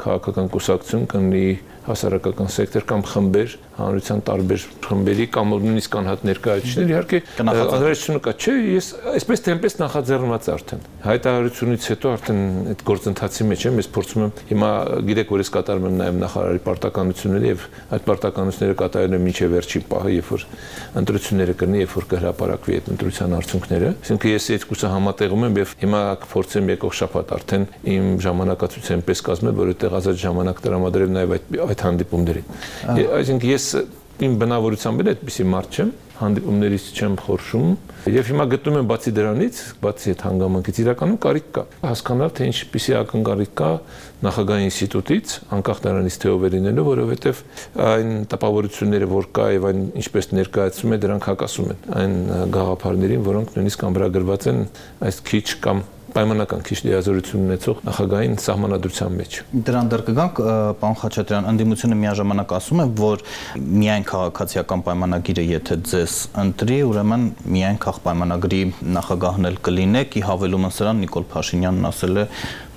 քաղաքական կուսակցություն, կլինի հասարակական սեկտոր կամ խմբեր, հանրության տարբեր խմբերի կամ նույնիսկ անհատ ներկայացուցիչներ, իհարկե անհրաժեշտությունը կա, չէ, ես այսպես թե այնպես նախաձեռնված արդեն հայտարարությունից հետո արդեն այդ գործընթացի մեջ եմ, ես փորձում եմ հիմա գիտեք, որ ես կատարում եմ նաև նախարարի պարտականությունները եւ այդ պարտականությունները կատարել եմ մինչեւ վերջին պահը, երբ որ ընտրությունները կլինի, երբ որ կհրապարակվի այդ ընտրության արդյունքները, այսինքն ես երկուսը համատեղում եմ եւ հիմա կփորձեմ եկող շաբաթ արդեն իմ ժամանակացույցը այնպես կազմել, որ այդտեղ ազատ ժամանակ տրամադրել նաև այդ հանդիպումներին։ Այսինքն ես իմ բնավորությամբ էլ այդպիսի մարդ չեմ, հանդիպումներից չեմ խորշում եւ հիմա գտնում եմ բացի դրանից, բացի այդ հանգամանքից իրականում կարիք կա հասկանալ թե ինչպիսի ակնկալիք կա նախագահի ինստիտուտից, անկախ նրանից թե ով է լինելու, որովհետեւ այն տպավորությունները, որ կա եւ այն ինչպես ներկայացում է, դրանք հակասում են այն գաղափարներին, որոնք նույնիսկ ամրագրված են այս քիչ կամ պայմանական քիչ լիազորություն ունեցող նախագահային սահմանադրության մեջ։ Դրան դեռ կգանք, պարոն Խաչատրյան, ընդդիմությունը միաժամանակ ասում է, որ միայն քաղաքացիական պայմանագիրը եթե ձեզ ընտրի, ուրեմն միայն քաղաքապայմանագրի նախագահն էլ կլինեք, ի հավելումը սրան Նիկոլ Փաշինյանն ասել է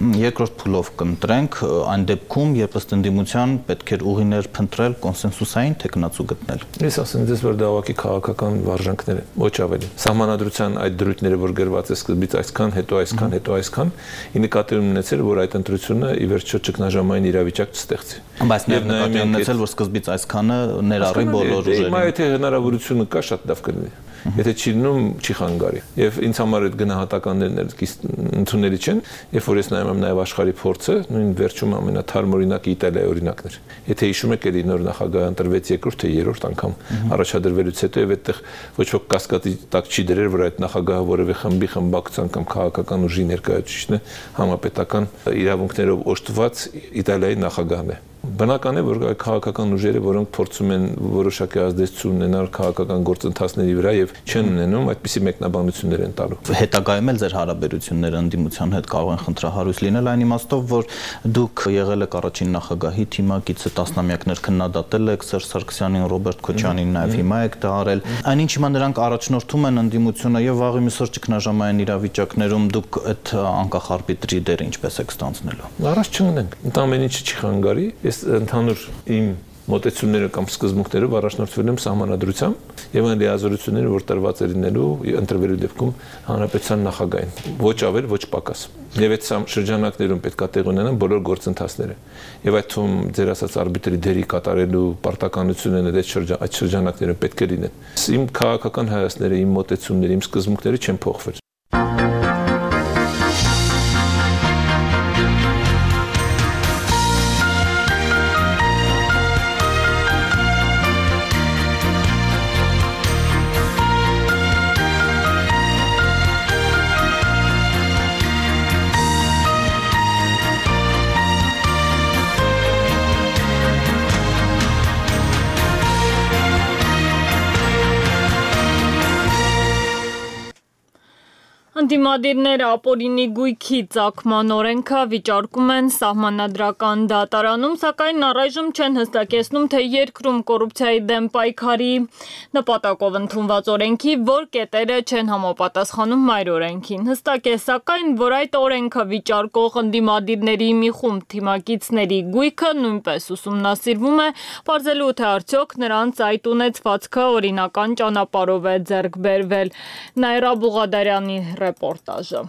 երկրորդ փուլով կընտրենք, այն դեպքում, երբ ըստ ընդդիմության պետք էր ուղիներ փնտրել կոնսենսուսային թեկնածու գտնել։ Ես ասեմ ձեզ, որ դա ուղղակի քաղաքական վարժանքներ են, ոչ ավելի։ Սահմանադրության այդ դրույթները, որ գրված է սկզբից այսքան, հետո այսքան, հետո այսքան, ի նկատի ունեցել, որ այդ ընտրությունը ի վերջո ճգնաժամային իրավիճակ չստեղծի։ Բայց նաև նկատի ունեցել, որ սկզբից այսքանը ներառի բոլոր ուժերին։ Հիմա եթե հնարավորությունը կա, շատ լավ կլինի։ Եթե չի լինում, չի խանգարի։ Եվ ինձ համար այդ գնահատականներն ընդունելի չեն, երբ որ ես նայում եմ նաև աշխարհի փորձը, նույն վերջում ամենաթարմ օրինակը Իտալիայի օրինակն էր։ Եթե հիշում եք, էլի նոր նախագահ ընտրվեց երկրորդ թե երրորդ անգամ առաջադրվելուց հետո եւ այդտեղ ոչ ոք կասկածի տակ չի դրել, որ այդ նախագահը որևէ խմբի խմբակցության կամ քաղաքական ուժի ներկայացուցիչն է, համապետական իրավունքներով օժտված Իտալիայի նախագահն է։ Բնական է, որ քաղաքական ուժերը, որոնք փորձում են որոշակի ազդեցություն ունենալ քաղաքական գործընթացների վրա եւ չեն ունենում, այդպիսի մեկնաբանություններ են տալու։ Հետագայում էլ ձեր հարաբերությունները ընդդիմության հետ կարող են խնդրահարույց լինել այն իմաստով, որ դուք եղել եք առաջին նախագահի թիմակիցը, տասնամյակներ քննադատել եք Սերժ Սարգսյանին, Ռոբերտ Քոչարյանին, նաեւ հիմա եք դա արել։ Այնինչ հիմա նրանք առաջնորդում են ընդդիմությունը եւ վաղ միսօր ճգնաժամային իրավիճակներում դուք այդ անկախ արբիտրի դերը ինչպես եք ստանձնելու։ Առաջ չընկնենք։ Ընդամենը չի խանգարի։ Ընդհանուր իմ մոտեցումները կամ սկզբունքներով առաջնորդվել եմ սահմանադրությամբ եւ այն լիազորությունները, որ տրված է լինելու ընտրվելու դեպքում հանրապետության նախագահին, ոչ ավել, ոչ պակաս։ Եվ այդ շրջանակներում պետք է տեղ ունենան բոլոր գործընթացները։ Եվ այդ թվում ձեր ասած արբիտրի դերի կատարելու պարտականությունները այդ շրջանակներում պետք է լինեն։ Իմ քաղաքական հայացքները, իմ մոտեցումները, իմ սկզբունքները չեն փոխվել։ Ընդդիմադիրները ապօրինի գույքի ծագման օրենքը վիճարկում են սահմանադրական դատարանում, սակայն առայժմ չեն հստակեցնում, թե երկրում կոռուպցիայի դեմ պայքարի նպատակով ընդունված օրենքի որ կետերը չեն համապատասխանում մայր օրենքին։ Հստակ է, սակայն, որ այդ օրենքը վիճարկող ընդդիմադիրների մի խումբ թիմակիցների գույքը նույնպես ուսումնասիրվում է, պարզելու թե արդյոք նրանց այդ ունեցվածքը օրինական ճանապարհով է ձեռք բերվել։ Նաիրա Բուղադարյանի ռեպորտաժը։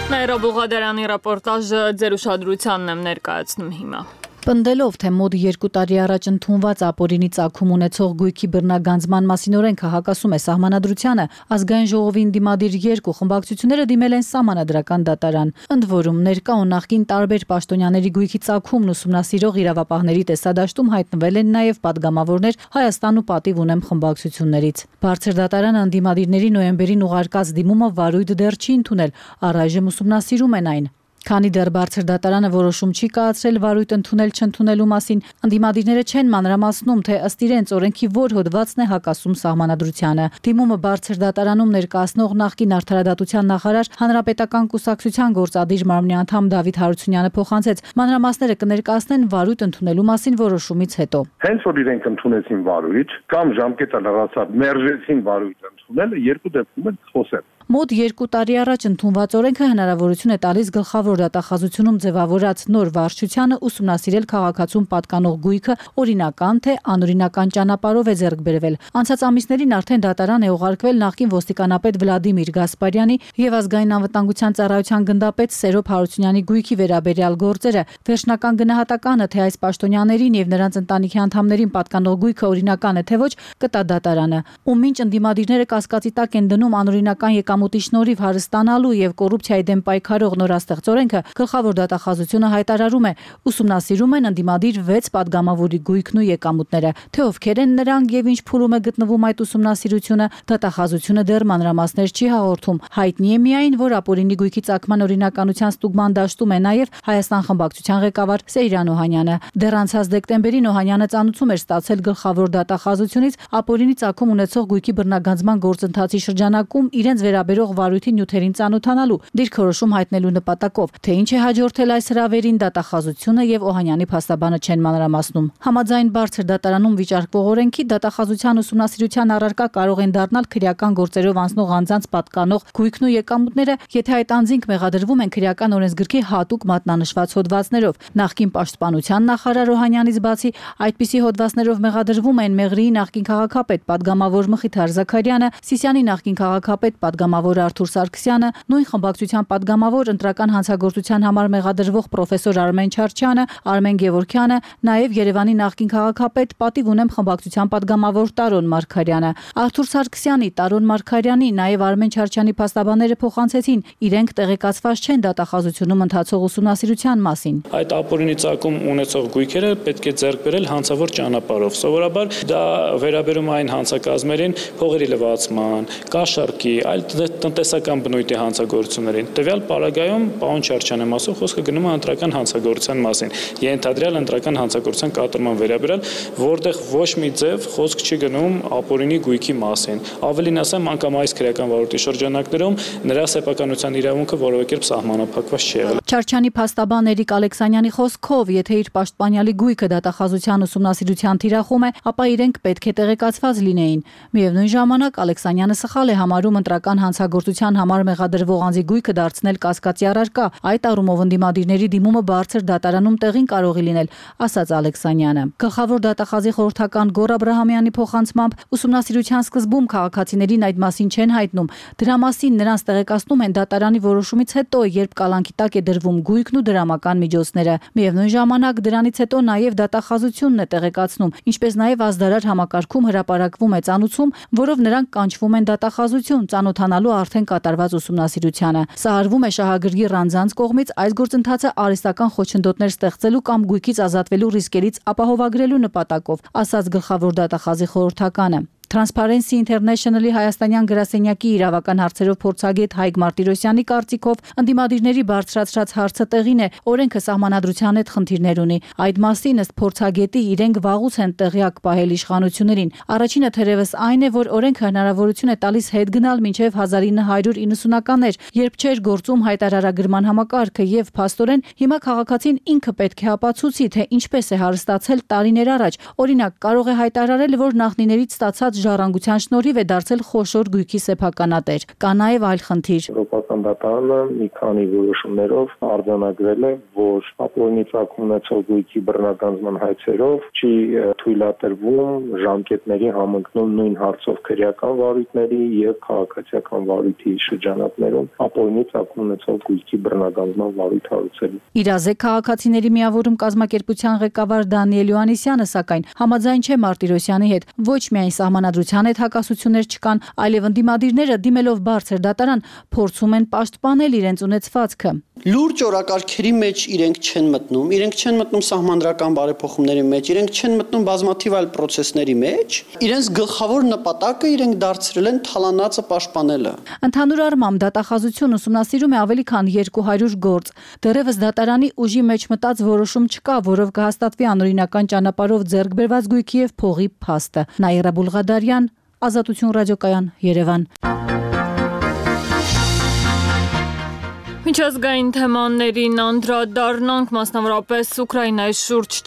Նաիրա Բուղադարյանի ռեպորտաժը ձեր ուշադրությանն եմ ներկայացնում հիմա։ Պնդելով, թե մոտ 2 տարի առաջ ընդունված ապօրինի ծագում ունեցող գույքի բռնագանձման մասին օրենքը հակասում է սահմանադրությանը, ազգային ժողովի ընդդիմադիր երկու խմբակցությունները դիմել են սահմանադրական դատարան։ Ընդ որում, ներկա ու նախկին տարբեր պաշտոնյաների գույքի ծագումն ուսումնասիրող իրավապահների տեսադաշտում հայտնվել են նաև պատգամավորներ Հայաստան ու Պատիվ ունեմ խմբակցություններից։ Բարձր դատարանը ընդդիմադիրների նոյեմբերին ուղարկած դիմումը վարույթ դեռ չի ընդունել, առայժմ ուսումնասիրում են այն։ Քանի դեռ բարձր դատարանը որոշում չի կայացրել վարույթ ընդունել չընդունելու մասին, ընդդիմադիրները չեն մանրամասնում, թե ըստ իրենց օրենքի որ հոդվածն է հակասում սահմանադրությանը։ Դիմումը բարձր դատարանում ներկայացնող նախկին արդարադատության նախարար Հանրապետական կուսակցության գործադիր մարմնի անդամ Դավիթ Հարությունյանը փոխանցեց, մանրամասները կներկայացնեն վարույթ ընդունելու մասին որոշումից հետո։ Հենց որ իրենք ընդունեցին վարույթ կամ ժամկետը լրացավ, մերժեցին վարույթ ընդունելը, երկու դեպքում էլ խոսել։ Մոտ 2 տարի առաջ ընդունված օրենքը հնարավորություն է տալիս գլխավոր դատախազությունում ձևավորած նոր վարչությանը ուսումնասիրել քաղաքացուն պատկանող գույքը օրինական թե անօրինական ճանապարհով է ձեռք բերվել։ Անցած ամիսներին արդեն դատարան է ուղարկվել նախկին ոստիկանապետ Վլադիմիր Գասպարյանի եւ ազգային անվտանգության ծառայության գնդապետ Սերոբ Հարությունյանի գույքի վերաբերյալ գործերը։ Վերջնական գնահատականը, թե այս պաշտոնյաներին եւ նրանց ընտանիքի անդամներին պատկանող գույքը օրինական է թե ոչ, կտա դատարանը։ Ու մինչ ընդդիմադիրները կասկածի տակ են դնում անօրինական եկամուտի շնորհիվ հարստանալու եւ կոռուպցիայի դեմ պայքարող նորաստեղծ օրենքը, գլխավոր դատախազությունը հայտարարում է, ուսումնասիրում են ընդդիմադիր 6 падգամավորի գույքն ու եկամուտները, թե ովքեր են նրանք եւ ինչ փուլում է գտնվում այդ ուսումնասիրությունը, դատախազությունը դեռ մանրամասներ չի հաղորդում։ Հայտնի է միայն, որ ապօրինի գույքի ծագման օրինականության ստուգման դաշտում է նաեւ Հայաստան խմբակցության ղեկավար Սեյրան Օհանյանը։ Դեռ անցած դեկտեմբերին Օհանյանը ծանուցում էր ստացել գլխավոր դատախազությունից ապօրինի ծագում ունեցող գույքի բռնագանձման գործընթացի շրջանակում իրենց վերաբերող վարույթի նյութերին ծանոթանալու, դիրքորոշում հայտնելու նպատակով, թե ինչ է հաջորդել այս հրավերին դատախազությունը եւ Օհանյանի փաստաբանը չեն մանրամասնում։ Համաձայն բարձր դատարանում վիճարկվող օրենքի դատախազության ուսումնասիրության առարկա կարող են դառնալ քրեական գործերով անցնող անձանց պատկանող գույքն ու եկամուտները, եթե այդ անձինք մեղադրվում են քրեական օրենսգրքի հատուկ մատնանշված հոդվածներով։ Նախկին պաշտպանության նախարար Օհանյանից բացի այդպիսի հոդվածներով մեղադրվում են Մեղրիի նախկին քաղաքապետ պատգամավոր Մխիթար Զաքարյանը, Սիսիանի նախկին քաղաքապետ պատգամավոր Արթուր Սարգսյանը, նույն խմբակցության պատգամավոր ընտրական հանցագործության համար մեղադրվող պրոֆեսոր Արմեն Չարչյանը, Արմեն Գևորգյանը, նաև Երևանի նախկին քաղաքապետ պատիվ ունեմ խմբակցության պատգամավոր Տարոն Մարգարյանը։ Արթուր Սարգսյանի, Տարոն Մարգարյանի, նաև Արմեն Չարչյանի փաստաբանները փոխանցեցին, իրենք տեղեկացված չեն դատախազությունում ընթացող ուսումնասիրության մասին։ Այդ ապօրինի ծագում ունեցող գույքերը պետք է ձեռք բերել հանցավոր ճանապարհով։ Սովորաբար դա վերաբերում այն հանցակազմերին, փողերի լվացման, կաշառքի, այլ տնտեսական բնույթի հանցագործություններին։ Տվյալ պարագայում պարոն Չարչյանը մասով խոսքը գնում է ընտրական հանցագործության մասին։ Ենթադրյալ ընտրական հանցագործության կատարման վերաբերյալ, որտեղ ոչ մի ձև խոսք չի գնում ապօրինի գույքի մասին։ Ավելին ասեմ, անգամ այս քրեական վարույթի շրջանակներում նրա սեփականության իրավունքը որևէ կերպ սահմանափակված չի եղել։ Չարչյանի փաստաբան Էրիկ Ալեքսանյանի խոսքով, եթե իր պաշտպանյալի գույքը դատախազության ուսումնասիրության թիրախում է, ապա իրենք պետք է տեղեկացված լինեին։ Միևնույն ժամանակ Ալեքսանյանը սխալ է համարում ընտրական հանցագործության համար մեղադրվող անձի գույքը դարձնել կասկածի առարկա։ Այդ առումով ընդդիմադիրների դիմումը բարձր դատարանում տեղին կարող է լինել, ասաց Ալեքսանյանը։ Գլխավոր դատախազի խորհրդական Գոռ Աբրահամյանի փոխանցմամբ ուսումնասիրության սկզբում քաղաքացիներին այդ մասին չեն հայտնում։ Դրա մասին նրանց տեղեկացնում են դատարանի որոշումից հետո, երբ կալանքի տակ է դրվում գույքն ու դրամական միջոցները։ Միևնույն ժամանակ դրանից հետո նաև դատախազությունն է տեղեկացնում, ինչպես նաև ազդարար համակարգում հրապարակվում է ծանուցում, որով նրանք կանչվում են դատախազություն, ծանոթանալու արդեն կատարված ուսումնասիրությանը։ Սա արվում է շահագրգիռ անձանց կողմից այս գործընթացը արհեստական խոչընդոտներ ստեղծելու կամ գույքից ազատվելու ռիսկերից ապահովագրելու նպատակով, ասաց գլխավոր դատախազի խորհրդականը։ Transparency International-ի հայաստանյան գրասենյակի իրավական հարցերով փորձագետ Հայկ Մարտիրոսյանի կարծիքով ընդդիմադիրների բարձրացրած հարցը տեղին է, օրենքը սահմանադրության հետ խնդիրներ ունի։ Այդ մասին ըստ փորձագետի իրենք վաղուց են տեղյակ պահել իշխանություններին։ Առաջինը թերևս այն է, որ օրենքը հնարավորություն է տալիս հետ գնալ մինչև 1990-ականներ, երբ չէր գործում հայտարարագրման համակարգը եւ փաստորեն հիմա քաղաքացին ինքը պետք է ապացուցի, թե ինչպես է հարստացել տարիներ առաջ։ Օրինակ, կարող է հայտարարել, որ նախնիներից ստացած ժառանգության շնորհիվ է դարձել խոշոր գույքի սեփականատեր։ Կա նաև այլ խնդիր։ Եվրոպական դատարանը մի քանի որոշումներով արձանագրել է, որ ապօրինի ծագում ունեցող գույքի բռնագանձման հայցերով չի թույլատրվում ժամկետների համընկնում նույն հարցով քրեական վարույթների եւ քաղաքացիական վարույթի շրջանակներում ապօրինի ծագում ունեցող գույքի բռնագանձման վարույթ հարուցելու։ Իրազեկ քաղաքացիների միավորում կազմակերպության ղեկավար Դանիել Յոհաննիսյանը սակայն համաձայն չէ Մարտիրոսյանի հետ, ոչ միայն սահմանադրության հետ հակասություններ չկան, այլև ընդդիմադիրները դիմելով բարձր դատարան փորձում են պաշտպանել իրենց ունեցվածքը։ Լուրջ օրակարգերի մեջ իրենք չեն մտնում սահմանադրական բարեփոխումների մեջ, իրենք չեն մտնում բազմաթիվ այլ process-ների մեջ, իրենց գլխավոր նպատակը իրենք դարձրել են թալանածը պաշտպանելը։ Ընդհանուր առմամբ դատախազությունը ուսումնասիրում է ավելի քան 200 գործ։ Դեռևս դատարանի ուժի մեջ մտած որոշում չկա, որով կհաստատվի անօրինական ճանապարհով ձեռք բերված գույքի եւ փողի փաստը։ Նաիրա Բուլղադարյան, Ազատություն ռադիոկայան, Երևան։ Միջազգային թեմաներին անդրադառնանք, մասնավորապես Ուկրաինայի շուրջ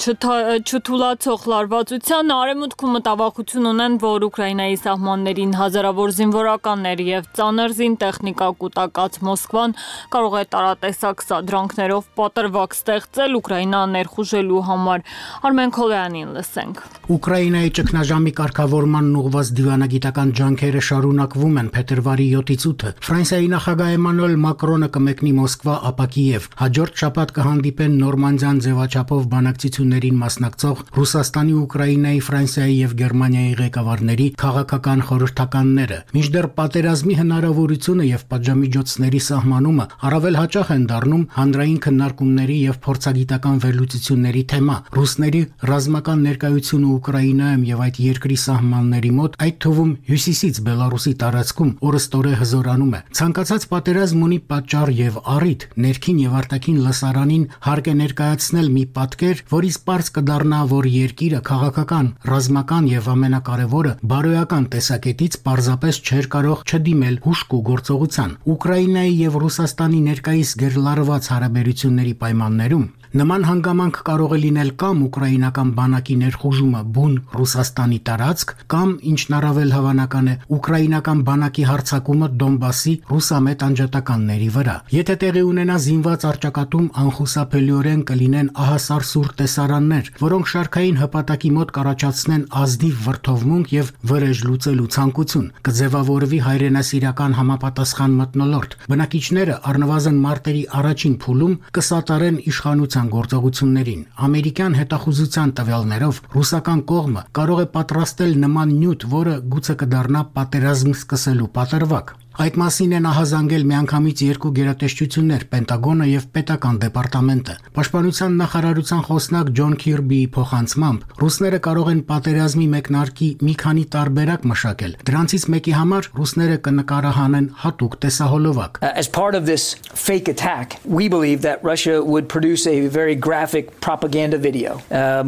չթուլացող լարվածության, արևմուտքում մտավախություն ունեն, որ Ուկրաինայի սահմաններին հազարավոր զինվորականներ եւ ծանր զինտեխնիկա կուտակած Մոսկվան կարող է տարատեսակ սադրանքներով պատրվակ ստեղծել Ուկրաինան ներխուժելու համար։ Արմեն Քոլյանին լսենք։ Ուկրաինայի ճգնաժամի կարգավորման ուղղված դիվանագիտական ջանքերը շարունակվում են փետրվարի 7-ից 8-ը։ Ֆրանսիայի նախագահ Էմանուել Մակրոնը կմեկնի Մոսկվա, ապա Կիև։ Հաջորդ շաբաթ կհանդիպեն նորմանդյան ձևաչափով բանակցություններին մասնակցող Ռուսաստանի, Ուկրաինայի, Ֆրանսիայի եւ Գերմանիայի ղեկավարների քաղաքական խորհրդականները։ Մինչդեռ պատերազմի հնարավորությունը եւ պատժամիջոցների սահմանումը առավել հաճախ են դառնում հանրային քննարկումների եւ փորձագիտական վերլուծությունների թեմա։ Ռուսների ռազմական ներկայությունը Ուկրաինայում եւ այդ երկրի սահմանների մոտ, այդ թվում հյուսիսից Բելարուսի տարածքում օրստորե հզորանում է։ Ցանկացած պատերազմ ունի պատճառ եւ առիթ, ներքին եւ արտաքին լսարանին հարկ է ներկայացնել մի պատկեր, որից պարզ կդառնա, որ երկիրը քաղաքական, ռազմական եւ ամենակարևորը բարոյական տեսակետից պարզապես չէր կարող չդիմել հուժկ ու գործողության։ Ուկրաինայի եւ Ռուսաստանի ներկայիս գերլարված հարաբերությունների պայմաններում նման հանգամանք կարող է լինել կամ ուկրաինական բանակի ներխուժումը բուն Ռուսաստանի տարածք, կամ ինչն առավել հավանական է, ուկրաինական բանակի հարձակումը Դոնբասի ռուսամետ անջատականների վրա։ Եթե տեղի ունենա զինված առճակատում, անխուսափելիորեն կլինեն ահասարսուռ տեսարաններ, որոնք շարքային հպատակի մոտ կառաջացնեն ազնիվ վրդովմունք եւ վրեժ լուծելու ցանկություն, կձևավորվի հայրենասիրական համապատասխան մթնոլորտ։ Բնակիչները առնվազն մարտերի առաջին փուլում կսատարեն իշխանության գործողություններին։ Ամերիկյան հետախուզության տվյալներով ռուսական կողմը կարող է պատրաստել նման նյութ, որը գուցե կդառնա պատերազմ սկսելու պատրվակ։ Այդ մասին են ահազանգել միանգամից երկու գերատեսչություններ՝ Պենտագոնը եւ Պետական դեպարտամենտը։ Պաշտպանության նախարարության խոսնակ Ջոն Քիրբիի փոխանցմամբ, ռուսները կարող են պատերազմի մեկնարկի մի քանի տարբերակ մշակել։ Դրանցից մեկի համար ռուսները կնկարահանեն հատուկ տեսահոլովակ։ As part of this fake attack, we believe that Russia would produce a very graphic propaganda video,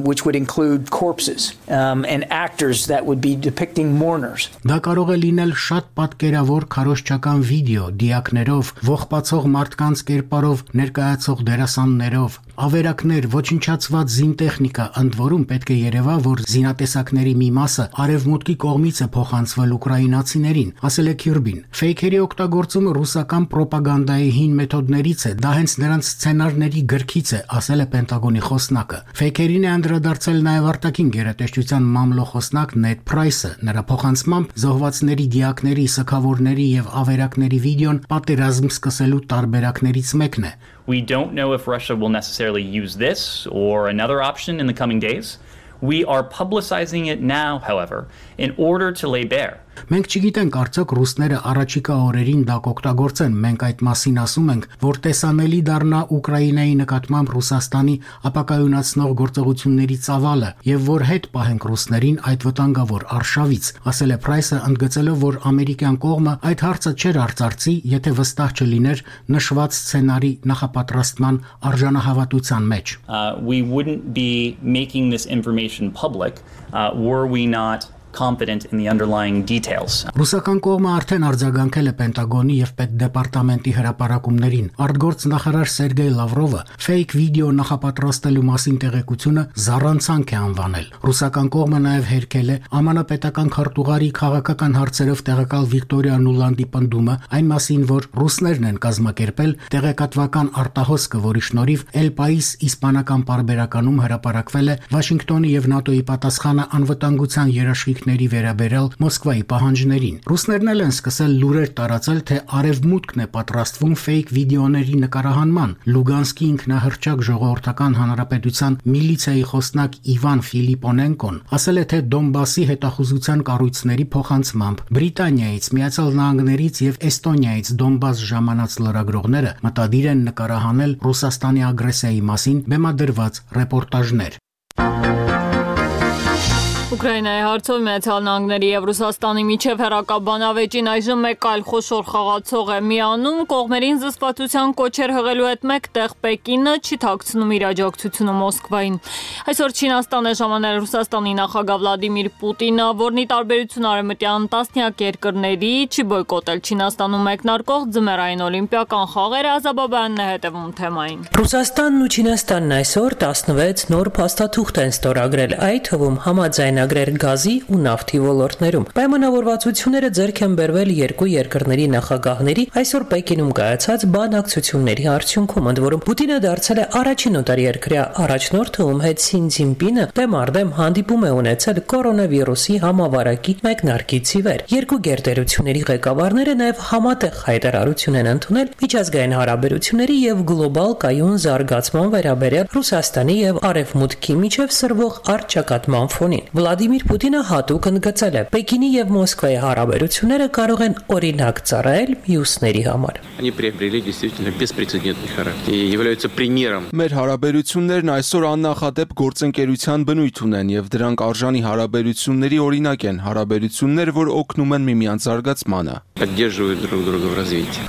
which would include corpses and actors that would be depicting mourners. Դա կարող է լինել շատ պատկերավոր քարոզչական վիդեո, դիակներով, ողբացող մարդկանց կերպարով ներկայացող դերասաններով, ավերակներ, ոչնչացված զինտեխնիկա, ընդ որում պետք է երևա, որ զինատեսակների մի մասը արևմուտքի կողմից է փոխանցվել ուկրաինացիներին, ասել է Քիրբին։ Ֆեյքերի օգտագործումը ռուսական պրոպագանդայի հին մեթոդներից է, դա հենց նրանց սցենարների գրքից է, ասել է Պենտագոնի խոսնակը։ Ֆեյքերին է անդրադարձել նաև արտաքին գերատեսչության մամլոխոսնակ Նեդ Փրայսը։ Նրա փոխանցմամբ զոհվածների դիակների, սգավորների եւ ավերակների վիդեոն պատերազմ սկսելու տարբերակներից մեկն է։ We don't know if Russia will necessarily use this or another option in the coming days. We are publicizing it now, however, in order to lay bare. Մենք չգիտենք արդյոք ռուսները առաջիկա օրերին դա կօգտագործեն, մենք այդ մասին ասում ենք, որ տեսանելի դառնա Ուկրաինայի նկատմամբ Ռուսաստանի ապակայունացնող գործողությունների ծավալը եւ որ հետ պահենք ռուսներին այդ վտանգավոր արշավից, ասել է Փրայսը, ընդգծելով, որ ամերիկյան կողմը այդ հարցը չէր արծարծի, եթե վստահ չլիներ նշված սցենարի նախապատրաստման արժանահավատության մեջ։ We wouldn't be making this information public were we not confident in the underlying details. Ռուսական կողմը արդեն արձագանքել է Պենտագոնի եւ Պետդեպարտամենտի հրապարակումներին։ Արտգործ նախարար Սերգեյ Լավրովը ֆեյք վիդեո նախապատրաստելու մասին տեղեկությունը զառանցանք է անվանել։ Ռուսական կողմը նաեւ հերքել է ԱՄՆ պետական քարտուղարի քաղաքական հարցերով տեղակալ Վիկտորիա Նուլանդի պնդումը այն մասին, որ ռուսներն են կազմակերպել տեղեկատվական արտահոսքը, որի շնորհիվ El País իսպանական պարբերականում հրապարակվել է Վաշինգտոնի եւ ՆԱՏՕ-ի պատասխանը անվտանգության երաշխիք մեկների վերաբերյալ Մոսկվայի պահանջներին։ Ռուսներն էլ են սկսել լուրեր տարածել, թե Արևմուտքն է պատրաստվում ֆեյք վիդեոների նկարահանման։ Լուգանսկի ինքնահռչակ ժողովրդական հանրապետության միլիցիայի խոսնակ Իվան Ֆիլիպոնենկոն ասել է, թե Դոնբասի հետախուզության կառույցների փոխանցմամբ Բրիտանիայից, Միացյալ Նահանգներից եւ Էստոնիայից Դոնբաս ժամանած լրագրողները մտադիր են նկարահանել Ռուսաստանի ագրեսիայի մասին բեմադրված ռեպորտաժներ։ Ուկրաինայի հարցով Միացյալ Նահանգների եւ Ռուսաստանի միջև հերակաբանավեճին այժմ մեկ այլ խոշոր խաղացող է միանում, կողմերին զսպվածության կոչեր հղելու հետ մեկտեղ Պեկինը չի թաքցնում իր աջակցությունը Մոսկվային։ Այսօր Չինաստանը ժամանել Ռուսաստանի նախագահ Վլադիմիր Պուտինը, որն ի տարբերություն արևմտյան տասնյակ երկրների չի բոյկոտել Չինաստանում մեկնարկող ձմեռային օլիմպիական խաղերը, Ազաբաբյանն է հետևում թեմային։ Ռուսաստանն ու Չինաստանն այսօր 16 նոր փաստաթուղթ են ստորագրել, այդ թվում համաձայնագրեր գազի ու նավթի ոլորտներում։ Պայմանավորվածությունները ձեռք են բերվել երկու երկրների նախագահների այսօր Պեկինում կայացած բանակցությունների արդյունքում, ընդ որում Պուտինը դարձել է առաջին օտարերկրյա առաջնորդը, ում հետ Սին Ցզինպինը դեմարդեմ հանդիպում է ունեցել կորոնավիրուսի համավարակի մեկնարկից ի վեր։ Երկու գերտերությունների ղեկավարները նաև համատեղ հայտարարություն են ընդունել միջազգային հարաբերությունների եւ գլոբալ կայուն զարգացման վերաբերյալ Ռուսաստանի եւ Արևմուտքի միջև սրվող առճակատման ֆոնին։ Վլադիմիր Պուտինը հատուկ ընդգծել է. Պեկինի եւ Մոսկվայի հարաբերությունները կարող են օրինակ ծառայել մյուսների համար։ Մեր հարաբերություններն այսօր աննախադեպ գործընկերության բնույթ ունեն եւ դրանք արժանի հարաբերությունների օրինակ են, հարաբերություններ, որ օգնում են միմյանց զարգացմանը։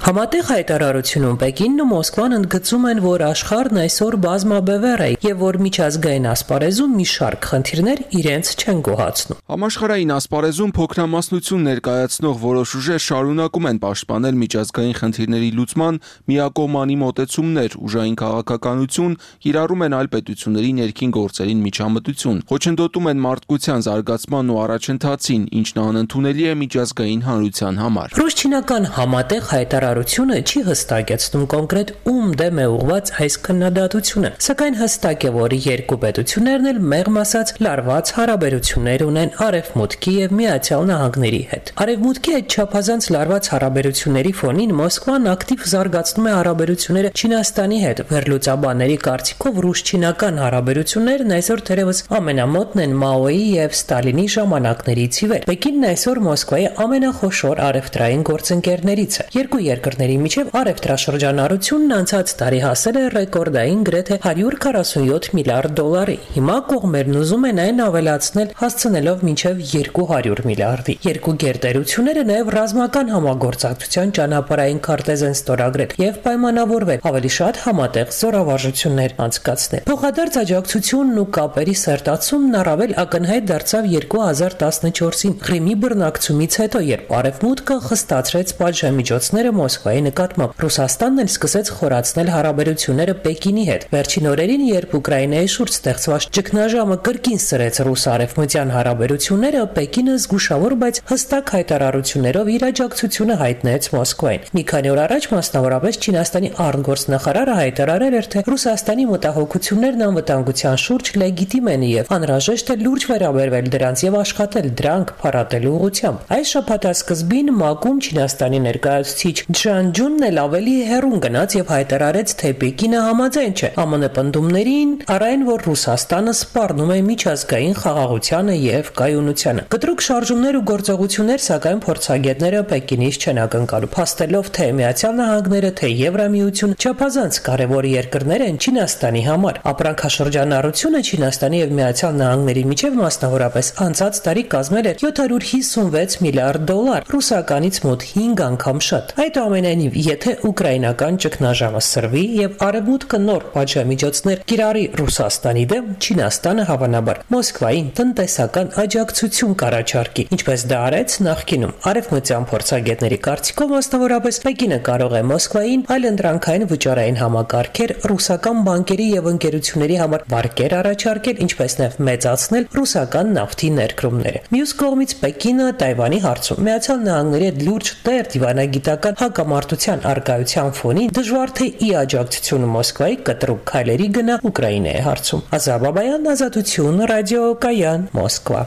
Համատեղ հայտարարությունում Պեկինն ու Մոսկվան ընդգծում են, որ աշխարհն այսօր բազմաբևեռ է եւ որ միջազգային ասպարեզում մի շարք խնդիրներ իրենց չեն գոհացնում։ Համաշխարհային ասպարեզում փոքրամասնություն ներկայացնող որոշ ուժեր շարունակում են պաշտպանել միջազգային խնդիրների լուծման միակողմանի մոտեցումներ, ուժային քաղաքականություն, կիրառում են այլ պետությունների ներքին գործերին միջամտություն, խոչընդոտում են մարդկության զարգացմանն ու առաջընթացին, ինչն անընդունելի է միջազգային հանրության համար։ Ռուս-չինական համատեղ հայտարարությունը չի հստակեցնում կոնկրետ ում դեմ է ուղղված այս քննադատությունը, սակայն հստակ է, որ երկու պետություններն էլ մեղմ ասած լարված հարաբերություններ ունեն Արևմուտքի եւ Միացյալ Նահանգների հետ։ Արևմուտքի այդ չափազանց լարված հարաբերությունների ֆոնին Մոսկվան ակտիվ զարգացնում է հարաբերությունները Չինաստանի հետ։ Վերլուծաբանների կարծիքով ռուս-չինական հարաբերություններն այսօր թերևս ամենամոտն են Մաոյի եւ Ստալինի ժամանակներից ի վեր։ Պեկինն այսօր Մոսկվայի ամենախոշոր առևտրային գործընկերներից է։ Երկու երկրների միջև առևտրաշրջանառությունն անցած տարի հասել է ռեկորդային գրեթե 147 միլիարդ դոլարի։ Հիմա կողմերն ուզում են այն ավելացնել, հասցնելով մինչև 200 միլիարդի։ Երկու գերտերությունները նաև ռազմական համագործակցության ճանապարհային քարտեզ են ստորագրել եւ պայմանավորվել ավելի շատ համատեղ զորավարժություններ անցկացնել։ Փոխադարձ աջակցությունն ու կապերի սերտացումն առավել ակնհայտ դարձավ 2014-ին Ղրիմի բռնակցումից հետո, երբ Արևմուտքը խստացրեց պատժամիջոցները Մոսկվայի նկատմամբ։ Ռուսաստանն էլ սկսեց խորացնել հարաբերությունները Պեկինի հետ։ Վերջին օրերին, երբ Ուկրաինայի շուրջ ստեղծված ճգնաժամը կրկին սրեց ռուս-արևմտյան հարաբերությունները, Պեկինը զգուշավոր, բայց հստակ հայտարարություններով իր աջակցությունը հայտնեց Մոսկվային։ Մի քանի օր առաջ, մասնավորապես Չինաստանի արտգործնախարարը հայտարարել էր, թե Ռուսաստանի մտահոգություններն անվտանգության շուրջ լեգիտիմ են եւ անհրաժեշտ է լուրջ վերաբերվել դրանց եւ աշխատել դրանք փառատելու ուղղությամբ։ Այս շաբաթասկզբին ՄԱԿ-ում Չինաստանի ներկայացուցիչ Ջան Ջունն էլ ավելի հեռուն գնաց եւ հայտարարեց, թե Պեկինը համաձայն չէ ԱՄՆ պնդումներին, առայն որ Ռուսաստանը սպառնում է միջազգային խաղաղությանը եւ կայունությանը։ Կտրուկ շարժումներ ու գործողություններ, սակայն փորձագետները Պեկինից չեն ակնկալում, փաստելով, թե Միացյալ Նահանգները, թե Եվրամիությունը չափազանց կարևոր երկրներ են Չինաստանի համար։ Ապրանքաշրջանառությունը Չինաստանի եւ Միացյալ Նահանգների միջև մասնավորապես անցած տարի կազմել է 756 միլիարդ դոլար, ռուսականից մոտ 5 անգամ շատ։ Այդուամենայնիվ, եթե ուկրաինական ճգնաժամը սրվի եւ Արևմուտքը նոր պատժամիջոցներ կիրառի Ռուսաստանի դեմ, Չինաստանը հավանաբար Մոսկվային տնտեսական աջակցություն կառաջարկի, ինչպես դա արեց նախկինում։ Արևմտյան փորձագետների կարծիքով, մասնավորապես Պեկինը կարող է Մոսկվային այլընտրանքային վճարային համակարգեր ռուսական բանկերի եւ ընկերությունների համար վարկեր առաջարկել, ինչպես նաեւ մեծացնել ռուսական նավթի ներկրումները։ Մյուս կողմից Պեկինը Թայվանի հարցում Միացյալ Նահանգների հետ լուրջ տեր դիվանագիտական հակամարտության արկայության ֆոնին դժվար թե ի աջակցությունը Մոսկվայի կտրուկ քայլերի գնա Ուկրաինայի հարցում։ Ազաբաբայան, Ազատություն, ռադիո Կայան, Մոսկվա։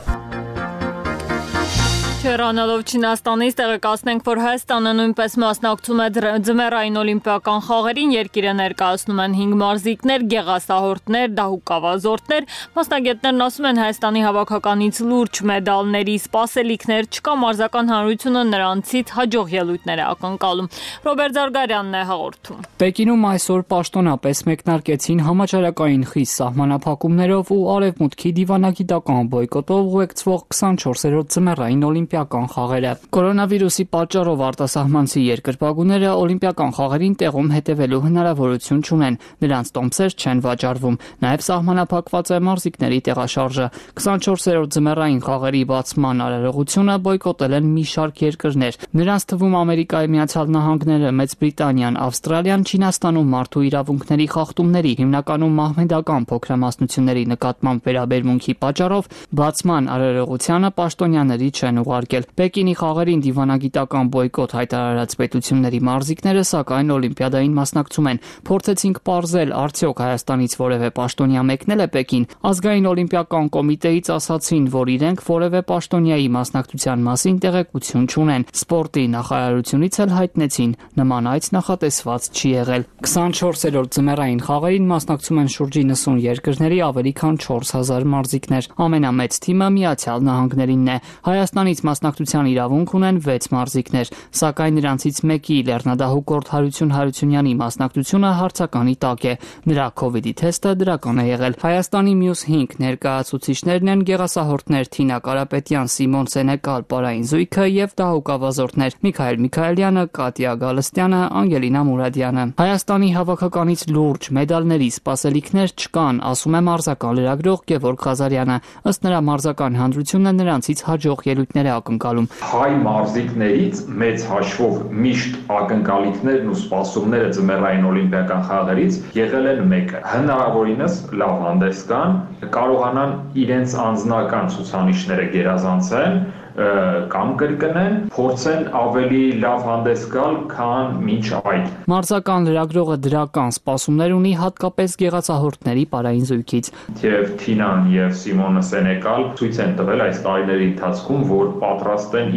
Հեռանալով Չինաստանից տեղեկացնենք, որ Հայաստանը նույնպես մասնակցում է ձմեռային օլիմպիական խաղերին, երկիրը ներկայացնում են 5 մարզիկներ, գեղասահորդներ, դահուկավազորդներ, մասնագետներն ասում են Հայաստանի հավաքականից լուրջ մեդալների սպասելիքներ չկա, մարզական հանրությունը նրանցից հաջող ելույթներ է ակնկալում։ Ռոբերտ Զարգարյանն է հաղորդում։ Պեկինում այսօր պաշտոնապես մեկնարկեցին համաճարակային խիստ սահմանափակումներով ու արևմուտքի դիվանագիտական բոյկոտով ուղեկցվող 24-րդ ձմեռային օլիմպիական խաղերը։ Կորոնավիրուսի պատճառով արտասահմանցի երկրպագուները օլիմպիական խաղերին տեղում հետևելու հնարավորություն չունեն, նրանց տոմսեր չեն վաճառվում, նաև սահմանափակված է մարզիկների տեղաշարժը։ 24-րդ ձմեռային խաղերի բացման արարողությունը բոյկոտել են մի շարք երկրներ, նրանց թվում Ամերիկայի Միացյալ Նահանգները, Մեծ Բրիտանիան, Ավստրալիան, Չինաստանում մարդու իրավունքների խախտումների, հիմնականում մահմեդական փոքրամասնությունների նկատմամբ վերաբերմունքի պատճառով բացման արարողությանը պաշտոնյաների չեն ուղարկել։ Պեկինի խաղերին դիվանագիտական բոյկոտ հայտարարած պետությունների մարզիկները սակայն օլիմպիադային մասնակցում են։ Փորձեցինք պարզել, արդյոք Հայաստանից որևէ պաշտոնյա մեկնել է Պեկին։ Ազգային օլիմպիական կոմիտեից ասացին, որ իրենք որևէ պաշտոնյայի մասնակցության մասին տեղեկություն չունեն։ Սպորտի նախարարությունից էլ հայտնեցին, նման այց նախատեսված չի եղել։ 24-րդ ձմեռային խաղերին մասնակցում են շուրջ 90 երկրների ավելի քան 4000 մարզիկներ։ Ամենամեծ թիմը Միացյալ Նահանգներինն է։ Հայաստանից մասնակցության իրավունք ունեն 6 մարզիկներ, սակայն նրանցից մեկի լեռնադահուկորդ Հարություն Հարությունյանի մասնակցությունը հարցականի տակ է։ Նրա COVID-ի թեստը դրական է եղել։ Հայաստանի մյուս 5 ներկայացուցիչներն են գեղասահորդներ Թինա Կարապետյան, Սիմոն Սենեկալ, Պարային Զույգը եւ դահուկավազորդներ Միքայել Միքայելյանը, Կատյա Գալստյանը, Անգելինա Մուրադյանը։ Հայաստանի հավաքականից լուրջ մեդալների սպասելիքներ չկան, ասում է մարզական լրագրող Գևորգ Ղազարյանը։ Ըստ նրա մարզական հանրությունը նրանցից հաջող ելույթներ է ակնկալում։ Հայ մարզիկներից մեծ հաշվով միշտ ակնկալիքներն ու սպասումները ձմեռային օլիմպիական խաղերից եղել են մեկը։ Հնարավորինս լավ հանդես գան, կարողանան իրենց անձնական ցուցանիշները գերազանցեն կամ կրկնեն, փորձեն ավելի լավ հանդես գալ, քան մինչ այդ։ Մարզական լրագրողը դրական սպասումներ ունի հատկապես գեղացահորդների Պարային Զույգից։ Եվ Թինան եւ Սիմոնը Սենեկալ ցույց են տվել այս տարիների ընթացքում, որ պատրաստ են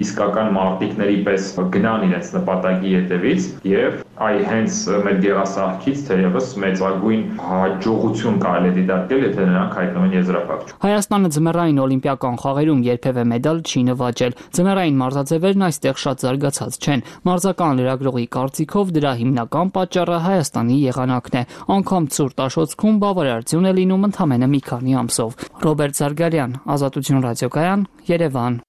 իսկական մարտիկների պես գնան իրենց նպատակի հետևից եւ հենց մեր գեղասահքից թերևս մեծագույն հաջողություն կարելի է դիտարկել, եթե նրանք հայտնվեն եզրափակչում։ Հայաստանը ձմեռային օլիմպիական խաղերում երբևէ մեդալ չի նվաճել։ Ձմեռային մարզաձևերն այստեղ շատ զարգացած չեն։ Մարզական լրագրողի կարծիքով դրա հիմնական պատճառը Հայաստանի եղանակն է։ Անգամ ցուրտ Աշոտսկում բավարարություն է լինում ընդամենը մի քանի ամսով։ Ռոբերտ Զարգարյան, Ազատություն ռադիոկայան, Երևան։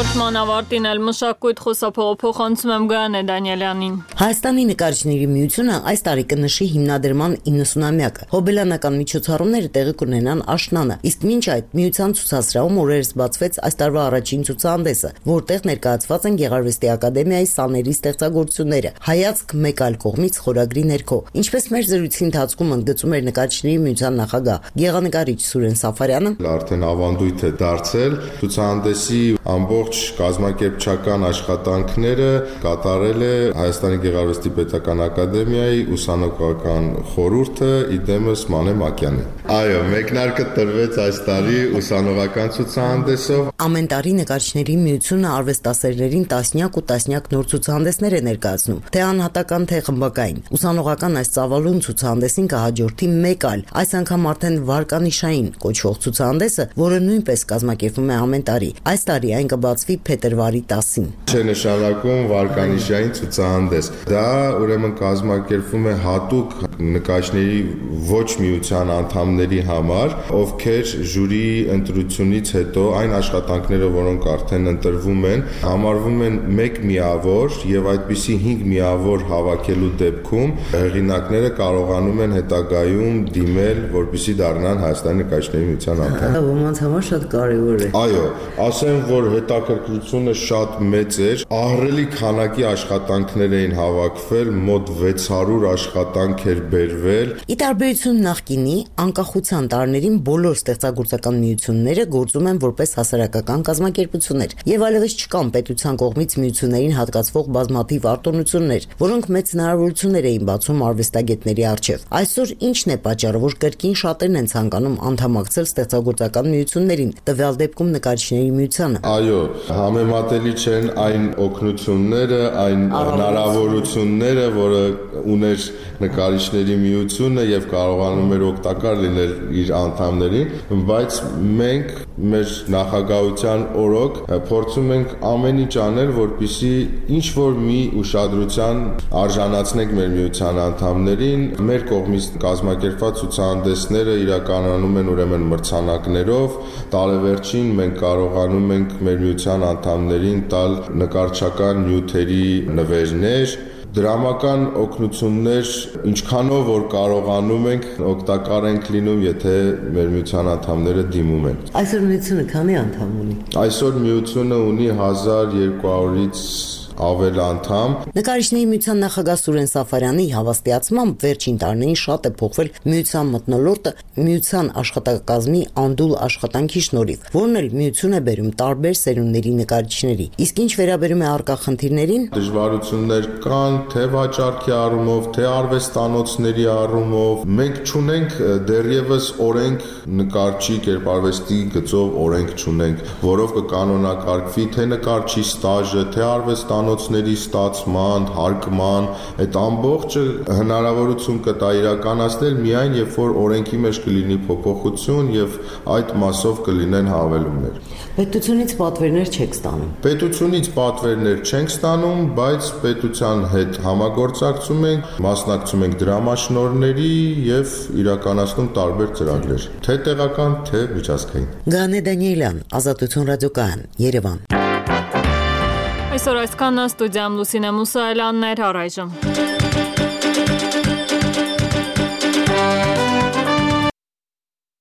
Հաղորդման ավարտին էլ մշակույթ խոսափողը փոխանցում եմ Գայանե Դանիելյանին։ Հայաստանի նկարիչների միությունը այս տարի կնշի հիմնադրման 90-ամյակը։ Հոբելյանական միջոցառումները տեղի կունենան աշնանը, իսկ մինչ այդ միության ցուցասրահում օրերս բացվեց այս տարվա առաջին ցուցահանդեսը, որտեղ ներկայացված են Գեղարվեստի ակադեմիայի սաների ստեղծագործությունները։ Հայացք մեկ այլ կողմից խորագրի ներքո։ Ինչպես մեր զրույցի ընթացքում ընդգծում էր նկարիչների միության նախագահ գեղանկարիչ Սուրեն Սաֆարյանը, արդեն ավանդույթ է դարձել ցուցահանդեսի ամբողջ կազմակերպչական աշխատանքները կատարել է Հայաստանի Գեղարվեստի Պետական Ակադեմիայի ուսանողական խորհուրդը իդեմս Մանե Մակյանի։ Այո, մեկնարկը տրվեց այս տարի ուսանողական ցուցահանդեսով։ Ամեն տարի նկարիչների միությունը արվեստասերներին տասնյակ ու տասնյակ նոր ցուցահանդեսներ է ներկայացնում, թե անհատական, թե խմբակային։ Ուսանողական այս ծավալուն ցուցահանդեսին կհաջորդի մեկ այլ, այս անգամ արդեն վարկանիշային կոչվող ցուցահանդեսը, որը նույնպես կազմակերպվում է ամեն տարի։ Այս տարի այն կբացվի փետրվարի 10-ին։ Չէ նշանակում վարկանիշային ցուցահանդես։ Դա ուրեմն կազմակերպվում է հատուկ նկարիչների ոչ միության անդամների համար, ովքեր ժյուրիի ընտրությունից հետո այն աշխատանքները, որոնք արդեն ընտրվում են, համարվում են մեկ միավոր եւ այդպիսի 5 միավոր հավաքելու դեպքում հեղինակները կարողանում են հետագայում դիմել, որպեսզի դառնան Հայաստանի նկարիչների միության անդամ։ Դա ոմանց համար շատ կարեւոր է։ Այո, ասեմ, որ հետաքրքիր հետաքրքրությունը շատ մեծ էր, ահռելի քանակի աշխատանքներ էին հավաքվել, մոտ 600 աշխատանք էր բերվել։ Ի տարբերություն նախկինի, անկախության տարիներին բոլոր ստեղծագործական միությունները գործում են որպես հասարակական կազմակերպություններ, եւ այլևս չկան պետության կողմից միություններին հատկացվող բազմաթիվ արտոնություններ, որոնք մեծ հնարավորություններ էին բացում արվեստագետների առջև։ Այսօր ինչն է պատճառը, որ կրկին շատերն են ցանկանում անդամակցել ստեղծագործական միություններին, տվյալ դեպքում նկարիչների միությանը։ Այո, համեմատելի չեն այն օգնությունները, այն հնարավորությունները, որը ուներ նկարիչների միությունը եւ կարողանում էր օգտակար լինել իր անդամներին, բայց մենք մեր նախագահության օրոք փորձում ենք ամեն ինչ անել, որպեսզի ինչ որ մի ուշադրության արժանացնենք մեր միության անդամներին։ Մեր կողմից կազմակերպված ցուցահանդեսները իրականանում են ուրեմն մրցանակներով, տարեվերջին մենք կարողանում ենք մեր միության անդամներին տալ նկարչական նյութերի նվերներ, դրամական օգնություններ, ինչքանով որ կարողանում ենք, օգտակար ենք լինում, եթե մեր միության անդամները դիմում են։ Այսօր միությունը քանի անդամ ունի։ Այսօր միությունը ունի 1200-ից ավել անդամ։ Նկարիչների միության նախագահ Սուրեն Սաֆարյանի հավաստիացմամբ վերջին տարիներին շատ է փոխվել միության մթնոլորտը միության աշխատակազմի անդուլ աշխատանքի շնորհիվ, որն էլ միություն է բերում տարբեր սերունդների նկարիչների։ Իսկ ինչ վերաբերում է առկա խնդիրներին, դժվարություններ կան թե վաճառքի առումով, թե արվեստանոցների առումով։ Մենք չունենք դեռևս օրենք նկարչի կերպարվեստի գծով օրենք չունենք, որով կկանոնակարգվի թե նկարչի ստաժը, թե արվեստանոցների ստացման, հարկման, այդ ամբողջը հնարավորություն կտա իրականացնել միայն երբ որ օրենքի մեջ կլինի փոփոխություն եւ այդ մասով կլինեն հավելումներ։ Պետությունից պատվերներ չեք ստանում։ Պետությունից պատվերներ չենք ստանում, բայց պետության հետ համագործակցում ենք, մասնակցում ենք դրամաշնորհների եւ իրականացնում տարբեր ծրագրեր, թե տեղական, թե միջազգային։ Գանե Դանիելյան, Ազատություն ռադիոկայան, Երևան։ Այսօր այսքանն ստուդիայում Լուսինե Մուսայելյանն էր, առայժմ։